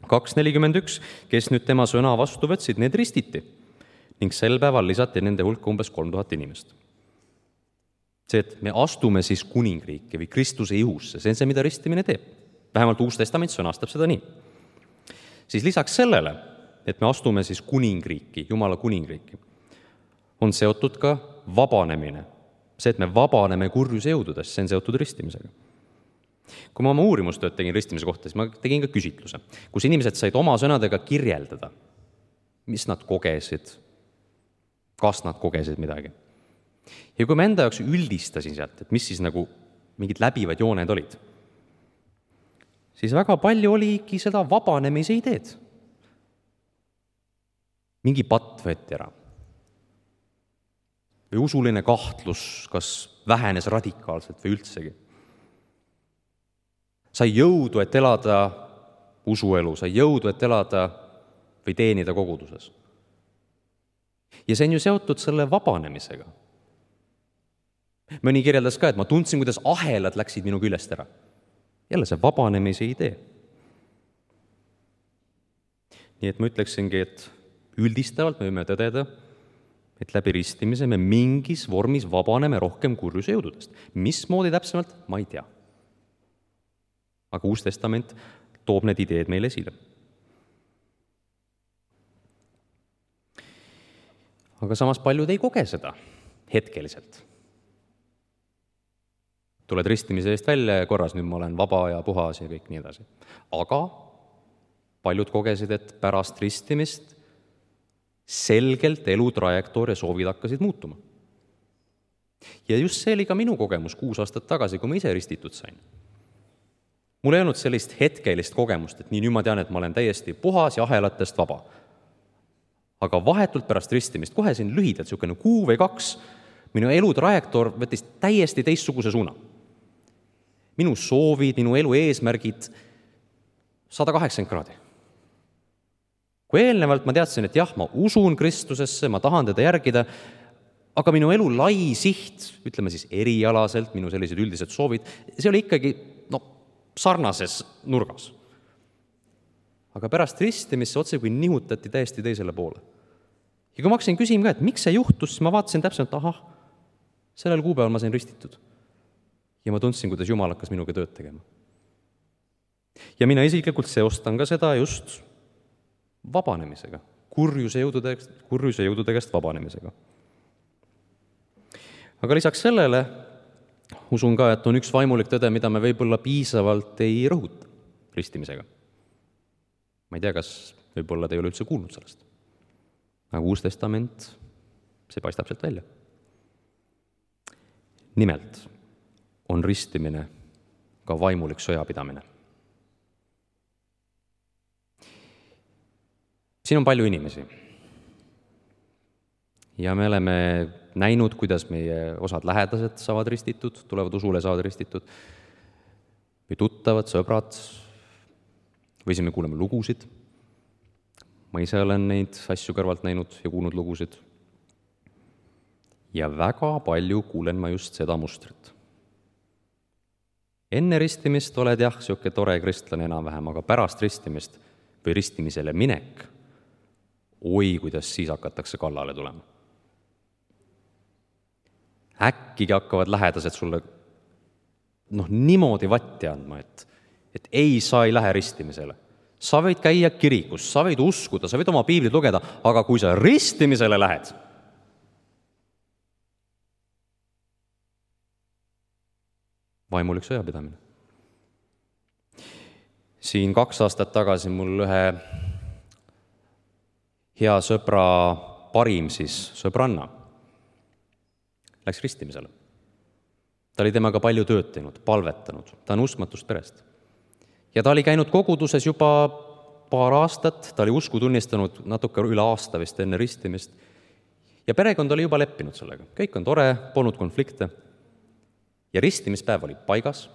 2:41, kes nüüd tema sõna vastu võtsid, need ristiti. Ning sel päeval lisati nende hulka umbes 3000 inimest. See, et me astume siis kuningriiki või Kristuse ihusse, see on see, mida ristimine teeb. Vähemalt Uus Testament sõnastab seda nii. Siis lisaks sellele, et me astume siis kuningriiki, Jumala kuningriiki, on seotud ka vabanemine. See, et me vabaneme kurjuse jõududest, see on seotud ristimisega. Kui ma oma uurimustööd tegin ristimise kohta, siis ma tegin ka küsitluse, kus inimesed said oma sõnadega kirjeldada, mis nad kogesid, kas nad kogesid midagi. Ja kui ma enda jaoks üldistasin sealt, et mis siis nagu mingid läbivad jooned olid, siis väga palju oligi seda vabanemise ideed. Mingi patt võeti ära. Või usuline kahtlus, kas vähenes radikaalselt või üldsegi. Sai jõudu, et elada usuelu, sai jõudu, et elada või teenida koguduses. Ja see on ju seotud selle vabanemisega. Mõni kirjeldas ka, et ma tundsin, kuidas ahelad läksid minu küljest ära. Jälle see vabanemise idee. Nii et ma ütleksingi, et üldistavalt me võime tõdeda, et läbi ristimise me mingis vormis vabaneme rohkem kurjuse jõududest. Mismoodi täpsemalt, ma ei tea. Aga Uus Testament toob need ideed meile esile. Aga samas paljud ei koge seda hetkeliselt. Tuled ristimise eest välja ja korras, nüüd ma olen vaba ja puhas ja kõik nii edasi. Aga paljud kogesid, et pärast ristimist selgelt elutrajektoor ja soovid hakkasid muutuma. Ja just see oli ka minu kogemus 6 aastat tagasi, kui ma ise ristitud sain. Mul ei olnud sellist hetkelist kogemust, et nii nüüd ma tean, et ma olen täiesti puhas ja ahelatest vaba. Aga vahetult pärast ristimist, kohe siin lühidalt, niisugune 1 või 2, minu elutrajektoor võttis täiesti teistsuguse suuna. Minu soovid, minu elu eesmärgid 180 kraadi. Kui eelnevalt ma teadsin, et jah, ma usun Kristusesse, ma tahan teda järgida, aga minu elu lai siht, ütleme siis erialaselt, minu sellised üldised soovid, see oli ikkagi sarnases nurgas. Aga pärast ristimist see otse kui nihutati täiesti teisele poole. Ja kui ma hakkasin küsima ka, et miks see juhtus, siis ma vaatasin täpselt, sellel kuupäeval ma sain ristitud. Ja ma tundsin, kuidas Jumal hakkas minuga tööd tegema. Ja mina isiklikult seostan ka seda just vabanemisega, kurjuse jõudude käest vabanemisega. Aga lisaks sellele usun ka, et on üks vaimulik tõde, mida me võib-olla piisavalt ei rõhuta ristimisega. Ma ei tea, kas võib-olla te ei ole üldse kuulnud sellest. aga Uus Testament, see paistab sealt välja. Nimelt on ristimine ka vaimulik sõjapidamine. Siin on palju inimesi ja me oleme näinud, kuidas meie osad lähedased saavad ristitud, tulevad usule, saavad ristitud, või tuttavad, sõbrad, või siis me kuuleme lugusid. Ma ise olen neid asju kõrvalt näinud ja kuulnud lugusid. Ja väga palju kuulen ma just seda mustrit. Enne ristimist oled jah, siuke tore kristlane enam-vähem, aga pärast ristimist või ristimisele minek, oi, kuidas siis hakatakse kallale tulema. Äkkigi hakkavad lähedased sulle niimoodi vatti andma, et ei, sa ei lähe ristimisele. Sa võid käia kirikus, sa võid uskuda, sa võid oma piiblit lugeda, aga kui sa ristimisele lähed, vaimulik sõjapidamine. Siin 2 aastat tagasi mul ühe hea sõbra parim sõbranna läks ristimisele. Ta oli temaga palju tööd teinud, palvetanud, ta on uskmatust perest. Ja ta oli käinud koguduses juba paar aastat, ta oli usku tunnistanud natuke üle aasta vist enne ristimist. Ja perekond oli juba leppinud sellega. Kõik on tore, polnud konflikte. Ja ristimispäev oli paigas.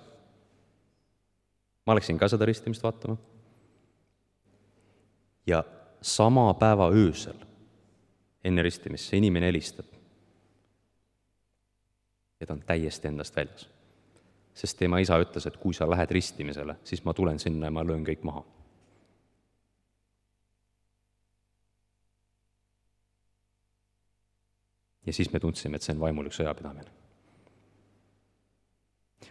Ma läksin ka seda ristimist vaatama. Ja sama päeva öösel enne ristimist see inimene helistab. Ja ta on täiesti endast väljas. Sest tema isa ütles, et kui sa lähed ristimisele, siis ma tulen sinna ja ma löön kõik maha. Ja siis me tundsime, et see on vaimulik sõjapidamine.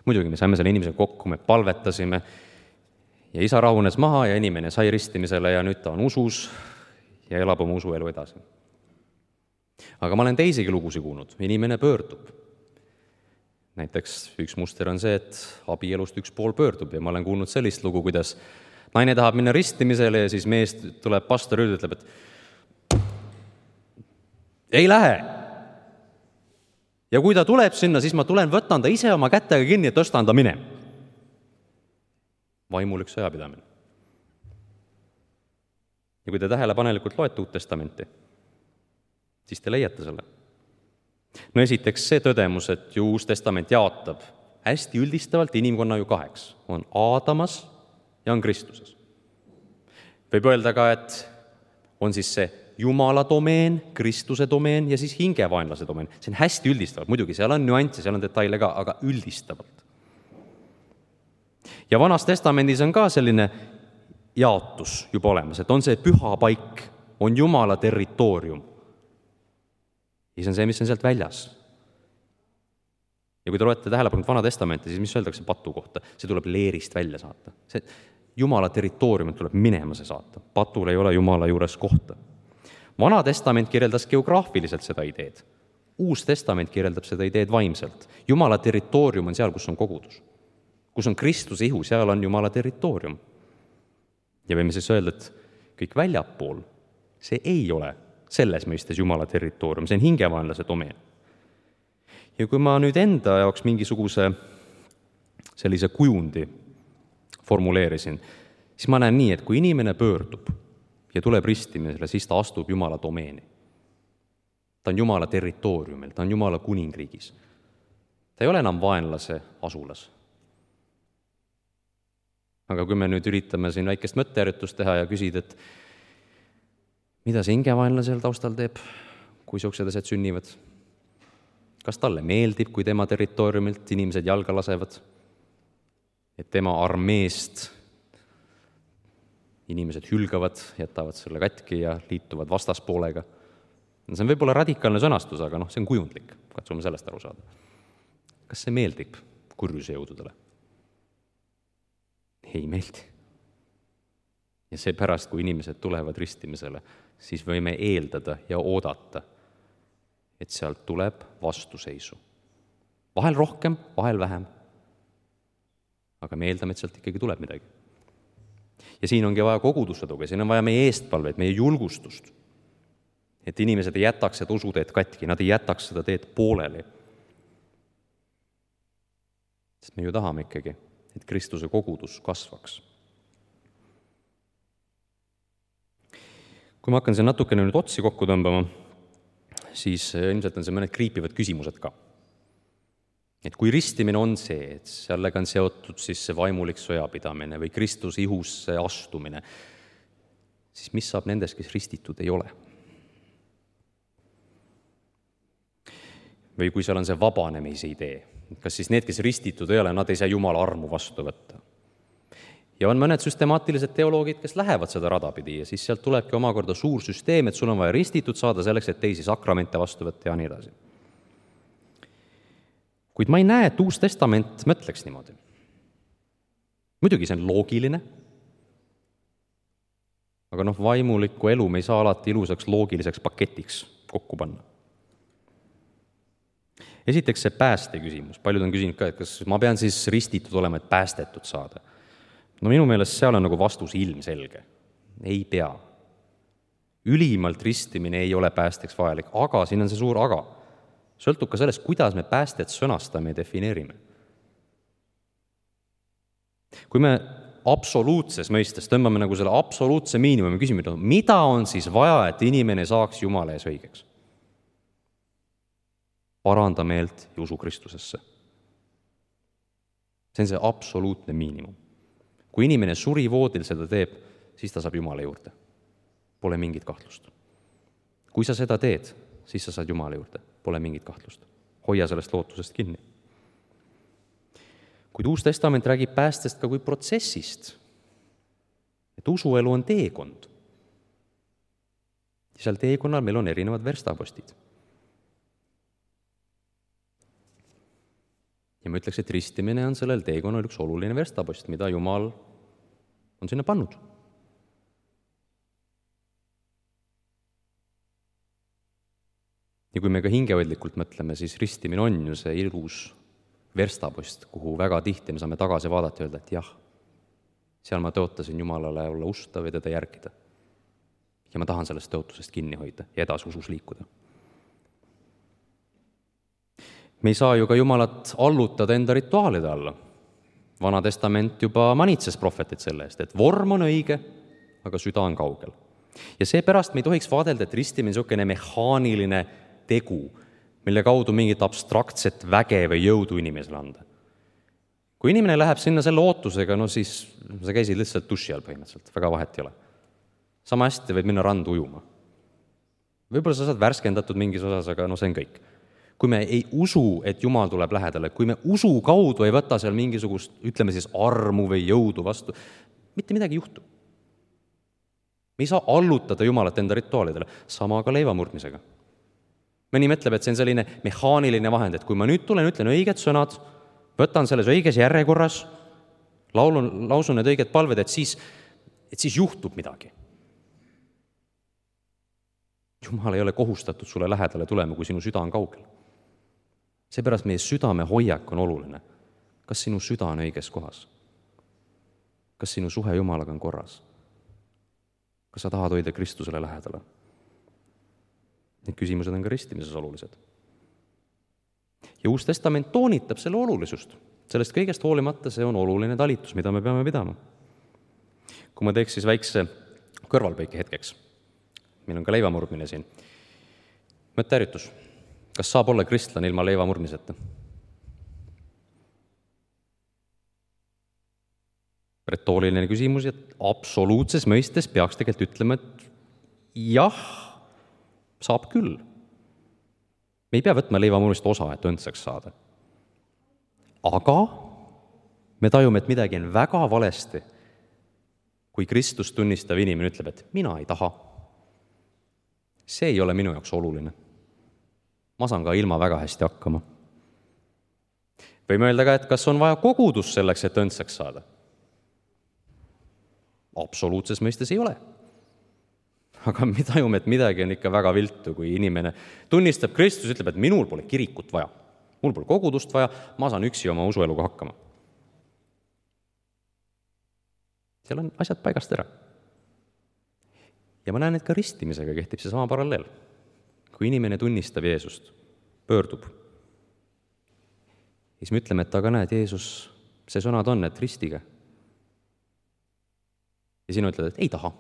Muidugi me saime selle inimesega kokku, me palvetasime ja isa rahunes maha ja inimene sai ristimisele ja nüüd ta on usus ja elab oma usuelu edasi. Aga ma olen teisigi lugusi kuulnud, inimene pöördub. Näiteks üks muster on see, et abielust üks pool pöördub ja ma olen kuulnud sellist lugu, kuidas naine tahab minna ristimisele ja siis mees tuleb pastor ja ütleb, et ei lähe. Ja kui ta tuleb sinna, siis ma tulen, võtan ta ise oma kätega kinni ja tõstan ta minema. Vaimulik sõjapidamine. Ja kui te tähelepanelikult loete Uut Testamenti, siis te leiate selle. No esiteks see tõdemus, et ju Uus Testament jaotab hästi üldistavalt inimkonna ju 2. On Aadamas ja on Kristuses. Võib öelda ka, et on siis see Jumala domeen, Kristuse domeen ja siis hingevaenlase domeen. See on hästi üldistavalt. Muidugi seal on nüansse, seal on detaile ka, aga üldistavalt. Ja Vanas Testamendis on ka selline jaotus juba olemas, et on see püha paik, on Jumala territoorium. Ja see on see, mis on sealt väljas. Ja kui te loete tähelepanelikult Vana Testamenti, siis mis öeldakse patu kohta? See tuleb leerist välja saata. See Jumala territooriumit tuleb minema see saata. Patul ei ole Jumala juures kohta. Vana Testament kirjeldas geograafiliselt seda ideed. Uus Testament kirjeldab seda ideed vaimselt. Jumala territoorium on seal, kus on kogudus. Kus on Kristuse ihu, seal on Jumala territoorium. Ja võime siis öelda, et kõik väljapool, see ei ole selles mõistes Jumala territoorium, see on hingevaenlase domeen. Ja kui ma nüüd enda jaoks mingisuguse sellise kujundi formuleerisin, siis ma näen nii, et kui inimene pöördub ja tuleb ristimisele, siis ta astub Jumala domeeni. Ta on Jumala territooriumil, ta on Jumala kuningriigis. Ta ei ole enam vaenlase asulas. Aga kui me nüüd üritame siin väikest mõtteäritust teha ja küsida, et mida see hingevaenlane seal taustal teeb, kui siuksed asjad sünnivad? Kas talle meeldib, kui tema territooriumilt inimesed jalga lasevad? Et tema armeest inimesed hülgavad, jätavad selle katki ja liituvad vastaspoolega? See on võib-olla radikaalne sõnastus, aga see on kujundlik. Katsume sellest aru saada. Kas see meeldib kurjuse jõududele? Ei meeldi. Ja seepärast, kui inimesed tulevad ristimisele, siis võime eeldada ja oodata, et sealt tuleb vastuseisu. Vahel rohkem, vahel vähem. Aga me eeldame, et sealt ikkagi tuleb midagi. Ja siin ongi vaja kogudusse tuge, siin on vaja meie eestpalveid, meie julgustust. et inimesed ei jätaks seda usuteed katki, nad ei jätaks seda teed pooleli. Sest me ju tahame ikkagi, et Kristuse kogudus kasvaks. Kui ma hakkan siin natukene nüüd otsi kokku tõmbama, siis ilmselt on see mõned kriipivad küsimused ka. Et kui ristimine on see, et sellega on seotud siis see vaimulik sõjapidamine või Kristuse ihusse astumine, siis mis saab nendest, kes ristitud ei ole? Või kui seal on see vabanemise idee, kas siis need, kes ristitud ei ole, nad ei saa Jumala armu vastu võtta? Ja on mõned süstemaatilised teoloogid, kes lähevad seda rada pidi ja siis sealt tulebki omakorda suur süsteem, et sul on vaja ristitud saada selleks, et teisi sakramente vastu võtta ja nii edasi. Kuid ma ei näe, et Uus Testament mõtleks niimoodi. Muidugi see on loogiline, aga vaimulikku elu me ei saa alati ilusaks loogiliseks paketiks kokku panna. Esiteks see pääste küsimus. Paljud on küsinud ka, et kas ma pean siis ristitud olema, et päästetud saada. Minu meelest seal on vastus ilmselge. Ei pea. Ülimalt ristimine ei ole päästeks vajalik, aga siin on see suur aga. Sõltub ka sellest, kuidas me päästet sõnastame ja defineerime. Kui me absoluutses mõistes tõmbame selle absoluutse miinimumi küsime, mida on siis vaja, et inimene saaks Jumala ees õigeks? Paranda meelt ja usu Kristusesse. See on see absoluutne miinimum. Kui inimene surivoodil seda teeb, siis ta saab Jumala juurde. Pole mingit kahtlust. Kui sa seda teed, siis sa saad Jumala juurde. Pole mingit kahtlust. Hoia sellest lootusest kinni. Kuid Uus Testament räägib päästest ka kui protsessist. Et usuelu on teekond. Ja seal teekonnal meil on erinevad verstapostid. Ja ma ütleks, et ristimine on sellel teekonnal üks oluline verstapost, mida Jumal on sinna pannud. Ja kui me ka hingehoidlikult mõtleme, siis ristimine on ju see ilus verstapost, kuhu väga tihti me saame tagasi vaadata ja öelda, et jah, seal ma tõotasin Jumalale olla ustav ja teda järgida. Ja ma tahan sellest tõotusest kinni hoida ja edasi usus liikuda. Me ei saa ju ka Jumalat allutada enda rituaalide alla. Vana testament juba manitses prohvetit selle eest, et vorm on õige, aga süda on kaugel. Ja seepärast me ei tohiks vaadelda, et ristimine on niisugune mehaaniline tegu, mille kaudu mingit abstraktset väge või jõudu inimesele anda. Kui inimene läheb sinna selle ootusega, siis sa käisid lihtsalt duši all põhimõtteliselt, väga vahet ei ole. Sama hästi võid minna randu ujuma. Võib-olla sa saad värskendatud mingis osas, aga see on kõik. Kui me ei usu, et Jumal tuleb lähedale, kui me usu kaudu ei võta seal mingisugust, ütleme siis armu või jõudu vastu, mitte midagi juhtub. Me ei saa allutada Jumalat enda rituaalidele, sama ka leivamurdmisega. Mõni mõtleb, et see on selline mehaaniline vahend, et kui ma nüüd tulen, ütlen õiged sõnad, võtan selles õiges järjekorras, lausun need õiged palved, et siis juhtub midagi. Jumal ei ole kohustatud sulle lähedale tulema, kui sinu süda on kaugel. Seepärast meie südame hoiak on oluline. Kas sinu süda on õiges kohas? Kas sinu suhe Jumalaga on korras? Kas sa tahad hoida Kristusele lähedale? Need küsimused on ka ristimises olulised. Ja Uus Testament toonitab selle olulisust. Sellest kõigest hoolimata see on oluline talitus, mida me peame pidama. Kui ma teeks siis väikse kõrvalpõike hetkeks, meil on ka leivamurdmine siin. Mõtteäritus. Kas saab olla kristlane ilma leivamurdmiseta? Retooriline küsimus, et absoluutses mõistes peaks tegelikult ütlema, et jah, saab küll. Me ei pea võtma leivamurdmist osa, et õndsaks saada. Aga me tajume, et midagi on väga valesti, kui Kristust tunnistav inimene ütleb, et mina ei taha. See ei ole minu jaoks oluline. Ma saan ka ilma väga hästi hakkama. Võime öelda ka, et kas on vaja kogudus selleks, et õndsaks saada? Absoluutses mõistes ei ole. Aga me tajume, et midagi on ikka väga viltu, kui inimene tunnistab Kristus, ütleb, et minul pole kirikut vaja, mul pole kogudust vaja, ma saan üksi oma usueluga hakkama. Seal on asjad paigast ära. Ja ma näen, et ka ristimisega kehtib see sama paralleel. kui inimene tunnistab Jeesust, pöördub, siis me ütleme, et aga näed, Jeesus, see sõnad on, et ristige. Ja sina ütled, et ei taha.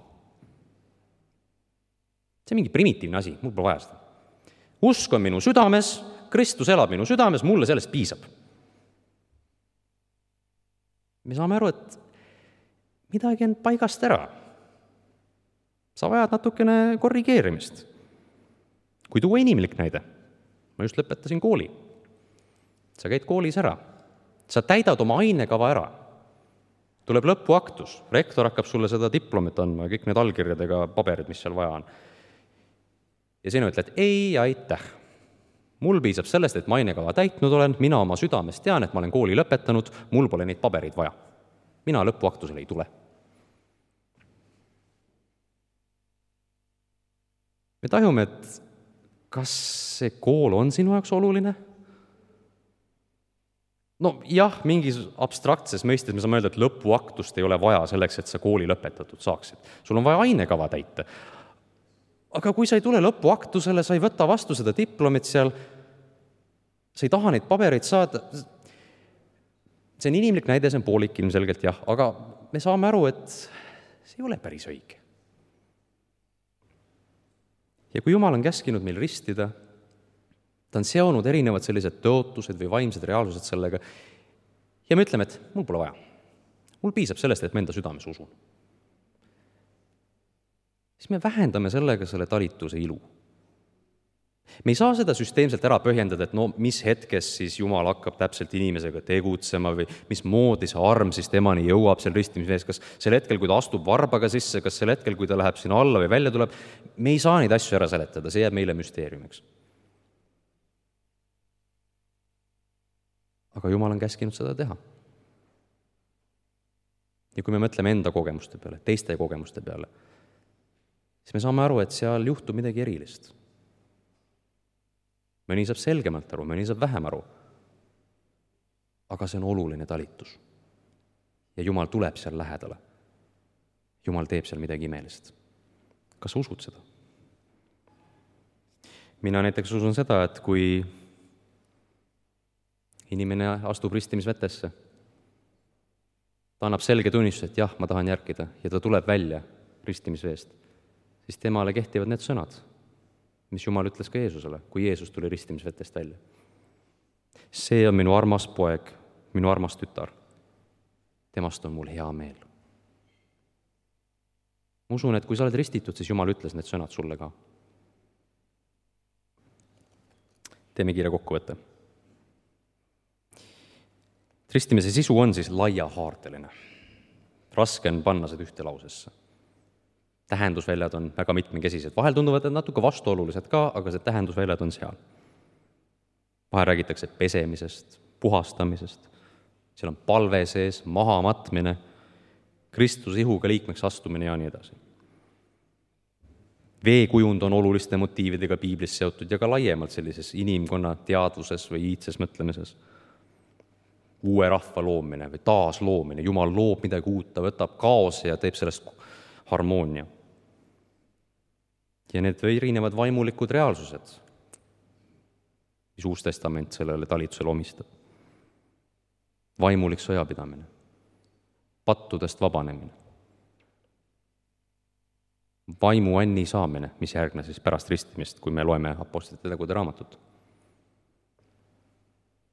See on mingi primitiivne asi, mul pole vaja seda. Usk on minu südames, Kristus elab minu südames, mulle sellest piisab. Me saame aru, et midagi on paigast ära. Sa vajad natukene korrigeerimist. Kui tuua inimlik näide, ma just lõpetasin kooli. Sa käid koolis ära, sa täidad oma ainekava ära. Tuleb lõpuaktus, rektor hakkab sulle seda diplomit andma, kõik need allkirjadega paberid, mis seal vaja on. Ja sina ütled, ei, aitäh. Mul piisab sellest, et ma ainekava täitnud olen, mina oma südames tean, et ma olen kooli lõpetanud, mul pole neid pabereid vaja. Mina lõpuaktusele ei tule. Me tajume, et kas see kool on sinu jaoks oluline? No jah, mingis abstraktses mõistes me saame öelda, et lõpuaktust ei ole vaja selleks, et sa kooli lõpetatud saaksid. Sul on vaja ainekava täita. Aga kui sa ei tule lõpuaktusele, sa ei võta vastu seda diplomit seal, sa ei taha neid pabereid saada, see on inimlik näide, see on poolik ilmselgelt jah, aga me saame aru, et see ei ole päris õige. Ja kui Jumal on käskinud meil ristida, ta on seonud erinevad sellised tõotused või vaimsed reaalsused sellega ja me ütleme, et mul pole vaja. Mul piisab sellest, et ma enda südames usun. Siis me vähendame sellega selle talituse ilu. Me ei saa seda süsteemselt ära põhjendada, et no mis hetkes siis Jumal hakkab täpselt inimesega tegutsema või mis moodi see arm siis temani jõuab seal ristimisvees, kas sel hetkel, kui ta astub varbaga sisse, kas sel hetkel, kui ta läheb sinna alla või välja tuleb, me ei saa neid asju ära seletada, see jääb meile müsteeriumiks. Aga Jumal on käskinud seda teha. Ja kui me mõtleme enda kogemuste peale, teiste kogemuste peale, siis me saame aru, et seal juhtub midagi erilist. Mõni saab selgemalt aru, mõni saab vähem aru. Aga see on oluline talitus. Ja Jumal tuleb seal lähedale. Jumal teeb seal midagi imelist. Kas sa usud seda? Mina näiteks usun seda, et kui inimene astub ristimisvetesse, ta annab selge tunnistuse, et jah, ma tahan järgida ja ta tuleb välja ristimisveest, siis temale kehtivad need sõnad, mis Jumal ütles ka Jeesusele, kui Jeesus tuli ristimisvetest välja. See on minu armas poeg, minu armas tütar. Temast on mul hea meel. Ma usun, et kui sa oled ristitud, siis Jumal ütles need sõnad sulle ka. Teeme kiire kokkuvõtte. Ristimise sisu on siis laiahaardeline. Raske on panna seda ühte lausesse. Tähendusväljad on väga mitmekesised. Vahel tunduvad natuke vastuolulised ka, aga see tähendusväljad on seal. Vahel räägitakse pesemisest, puhastamisest. Seal on palve sees, mahamatmine, Kristuse ihuga liikmeks astumine ja nii edasi. Veekujund on oluliste motiividega piiblis seotud ja ka laiemalt sellises inimkonna teadvuses või iidses mõtlemises. Uue rahva loomine või taasloomine. Jumal loob midagi uut, ta võtab kaose ja teeb sellest harmoonia. Ja need erinevad vaimulikud reaalsused, mis Uus Testament sellele talitusele omistab. Vaimulik sõjapidamine, pattudest vabanemine, vaimu anni saamine, mis järgne siis pärast ristimist, kui me loeme apostlite tegude raamatut.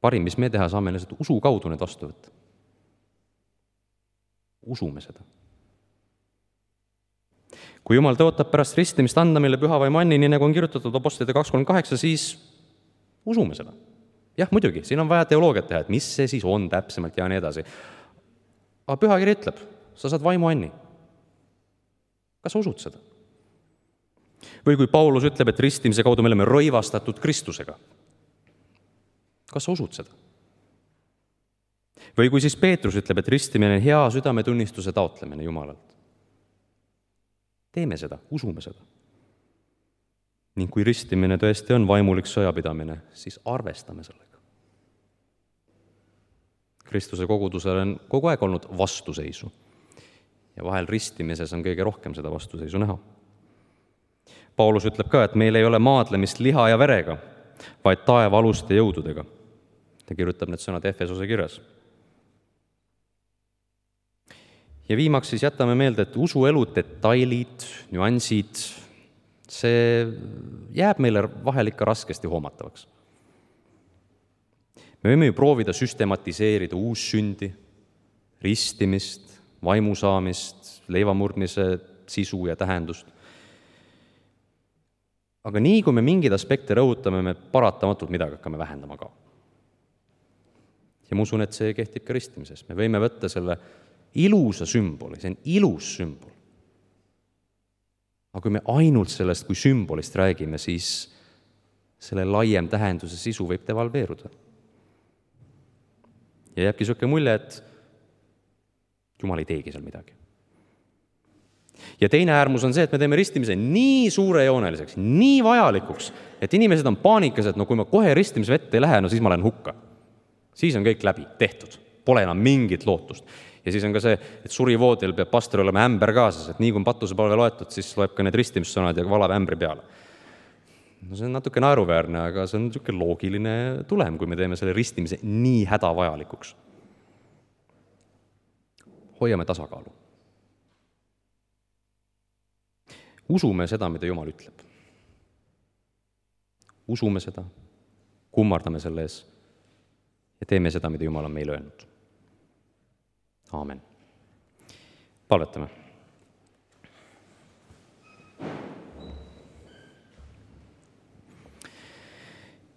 Parim, mis me teha saame, lihtsalt usu kaudu need vastu võtta. Usume seda. Kui Jumal tõotab pärast ristimist anda meile püha vaimu anni, nii nagu on kirjutatud apostlite 2.38, siis usume seda. Jah, muidugi, siin on vaja teoloogiat teha, et mis see siis on täpsemalt ja nii edasi. Aga pühakiri ütleb, sa saad vaimu anni. Kas sa usud seda? Või kui Paulus ütleb, et ristimise kaudu me oleme rõivastatud Kristusega. Kas sa usud seda? Või kui siis Peetrus ütleb, et ristimine on hea südametunnistuse taotlemine Jumalalt. Teeme seda, usume seda. Ning kui ristimine tõesti on vaimulik sõjapidamine, siis arvestame sellega. Kristuse kogudusel on kogu aeg olnud vastuseisu. Ja vahel ristimises on kõige rohkem seda vastuseisu näha. Paulus ütleb ka, et meil ei ole maadlemist liha ja verega, vaid taeva aluste jõududega. Ta kirjutab need sõnad Efesose kirjas. Ja viimaks siis jätame meelde, et usuelu detailid, nüansid, see jääb meile vahel ikka raskesti hoomatavaks. Me võime ju proovida süstematiseerida uussündi, ristimist, vaimusaamist, leivamurdmise sisu ja tähendust. Aga nii, kui me mingeid aspekte rõhutame, me paratamatult midagi hakkame vähendama ka. Ja ma usun, et see kehtib ka ristimises. Me võime võtta selle ilusa sümboli, see on ilus sümbol. Aga kui me ainult sellest kui sümbolist räägime, siis selle laiem tähenduse sisu võib devalveeruda. Ja jääbki niisugune mulje, et Jumal ei teegi seal midagi. Ja teine äärmus on see, et me teeme ristimise nii suurejooneliseks, nii vajalikuks, et inimesed on paanikas, et kui ma kohe ristimisvette ei lähe, siis ma lähen hukka. Siis on kõik läbi, tehtud. Pole enam mingit lootust. Ja siis on ka see, et surivoodil peab pastor olema ämber kaasas, et nii kui patusepalve loetud, siis loeb ka need ristimissõnad ja valab ämbri peale. No see on natuke naeruväärne, aga see on niisugune loogiline tulem, kui me teeme selle ristimise nii hädavajalikuks. Hoiame tasakaalu. Usume seda, mida Jumal ütleb. Usume seda, kummardame selle ees ja teeme seda, mida Jumal on meile öelnud. Aamen. Palvetame.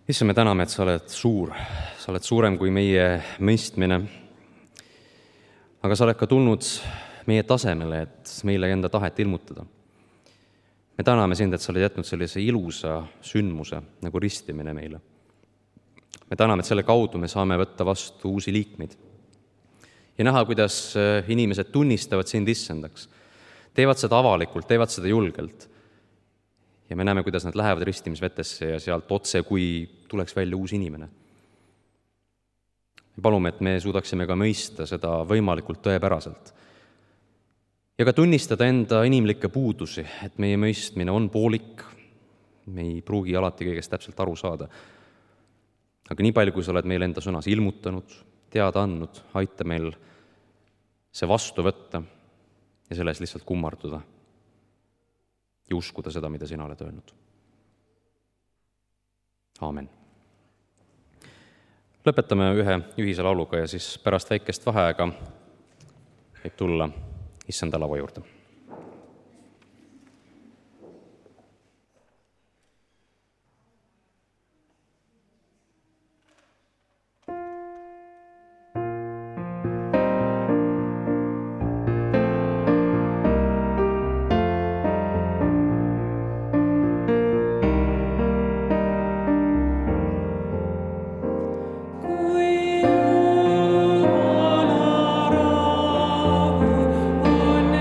Issand, me täname, et sa oled suur, sa oled suurem kui meie mõistmine, aga sa oled ka tulnud meie tasemele, et meile enda tahet ilmutada. Me täname sind, et sa oled jätnud sellise ilusa sündmuse nagu ristimine meile. Me täname, et selle kaudu me saame võtta vastu uusi liikmeid ja näha, kuidas inimesed tunnistavad sind issandaks. Teevad seda avalikult, teevad seda julgelt. Ja me näeme, kuidas nad lähevad ristimisvetesse ja sealt otse, kui tuleks välja uus inimene. Me palume, et me suudaksime ka mõista seda võimalikult tõepäraselt. Ja ka tunnistada enda inimlikke puudusi, et meie mõistmine on poolik, me ei pruugi alati kõigest täpselt aru saada. Aga nii palju, kui sa oled meil enda sõnas ilmutanud, teada andnud, aita meil see vastu võtta ja selles lihtsalt kummarduda ja uskuda seda, mida sina oled öelnud. Aamen. Lõpetame ühe ühise lauluga ja siis pärast väikest vaheaega võib tulla issanda lava juurde. Kui Jumala rahu on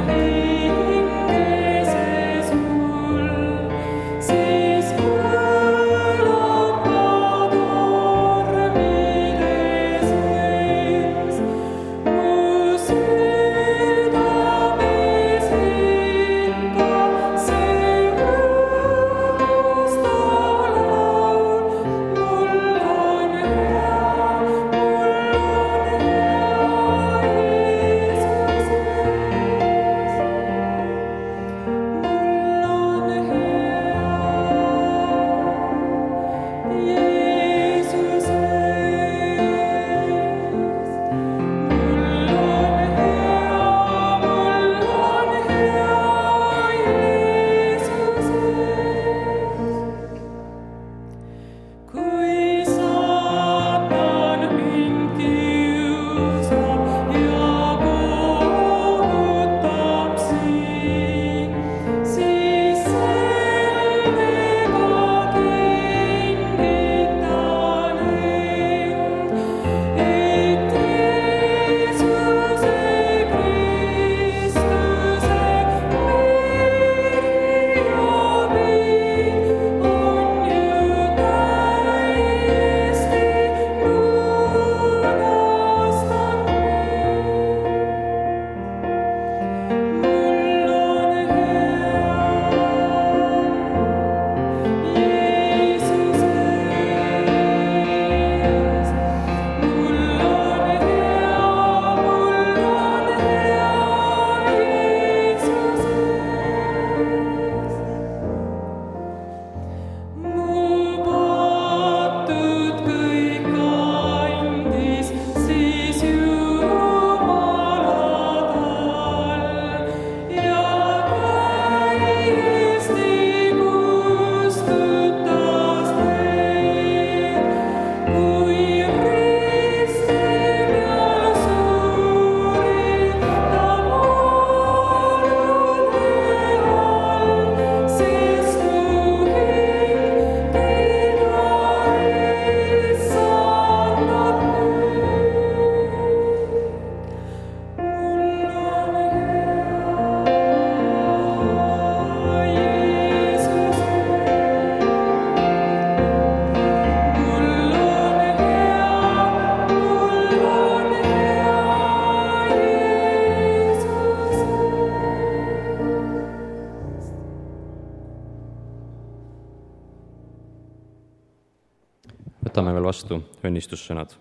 võtame veel vastu õnnistussõnad.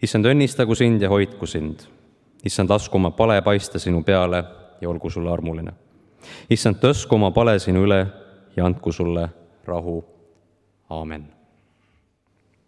Issand, õnnistagu sind ja hoidku sind. Issand, lasku oma pale paista sinu peale ja olgu sulle armuline. Issand, tõsku oma pale sinu üle ja andku sulle rahu. Aamen.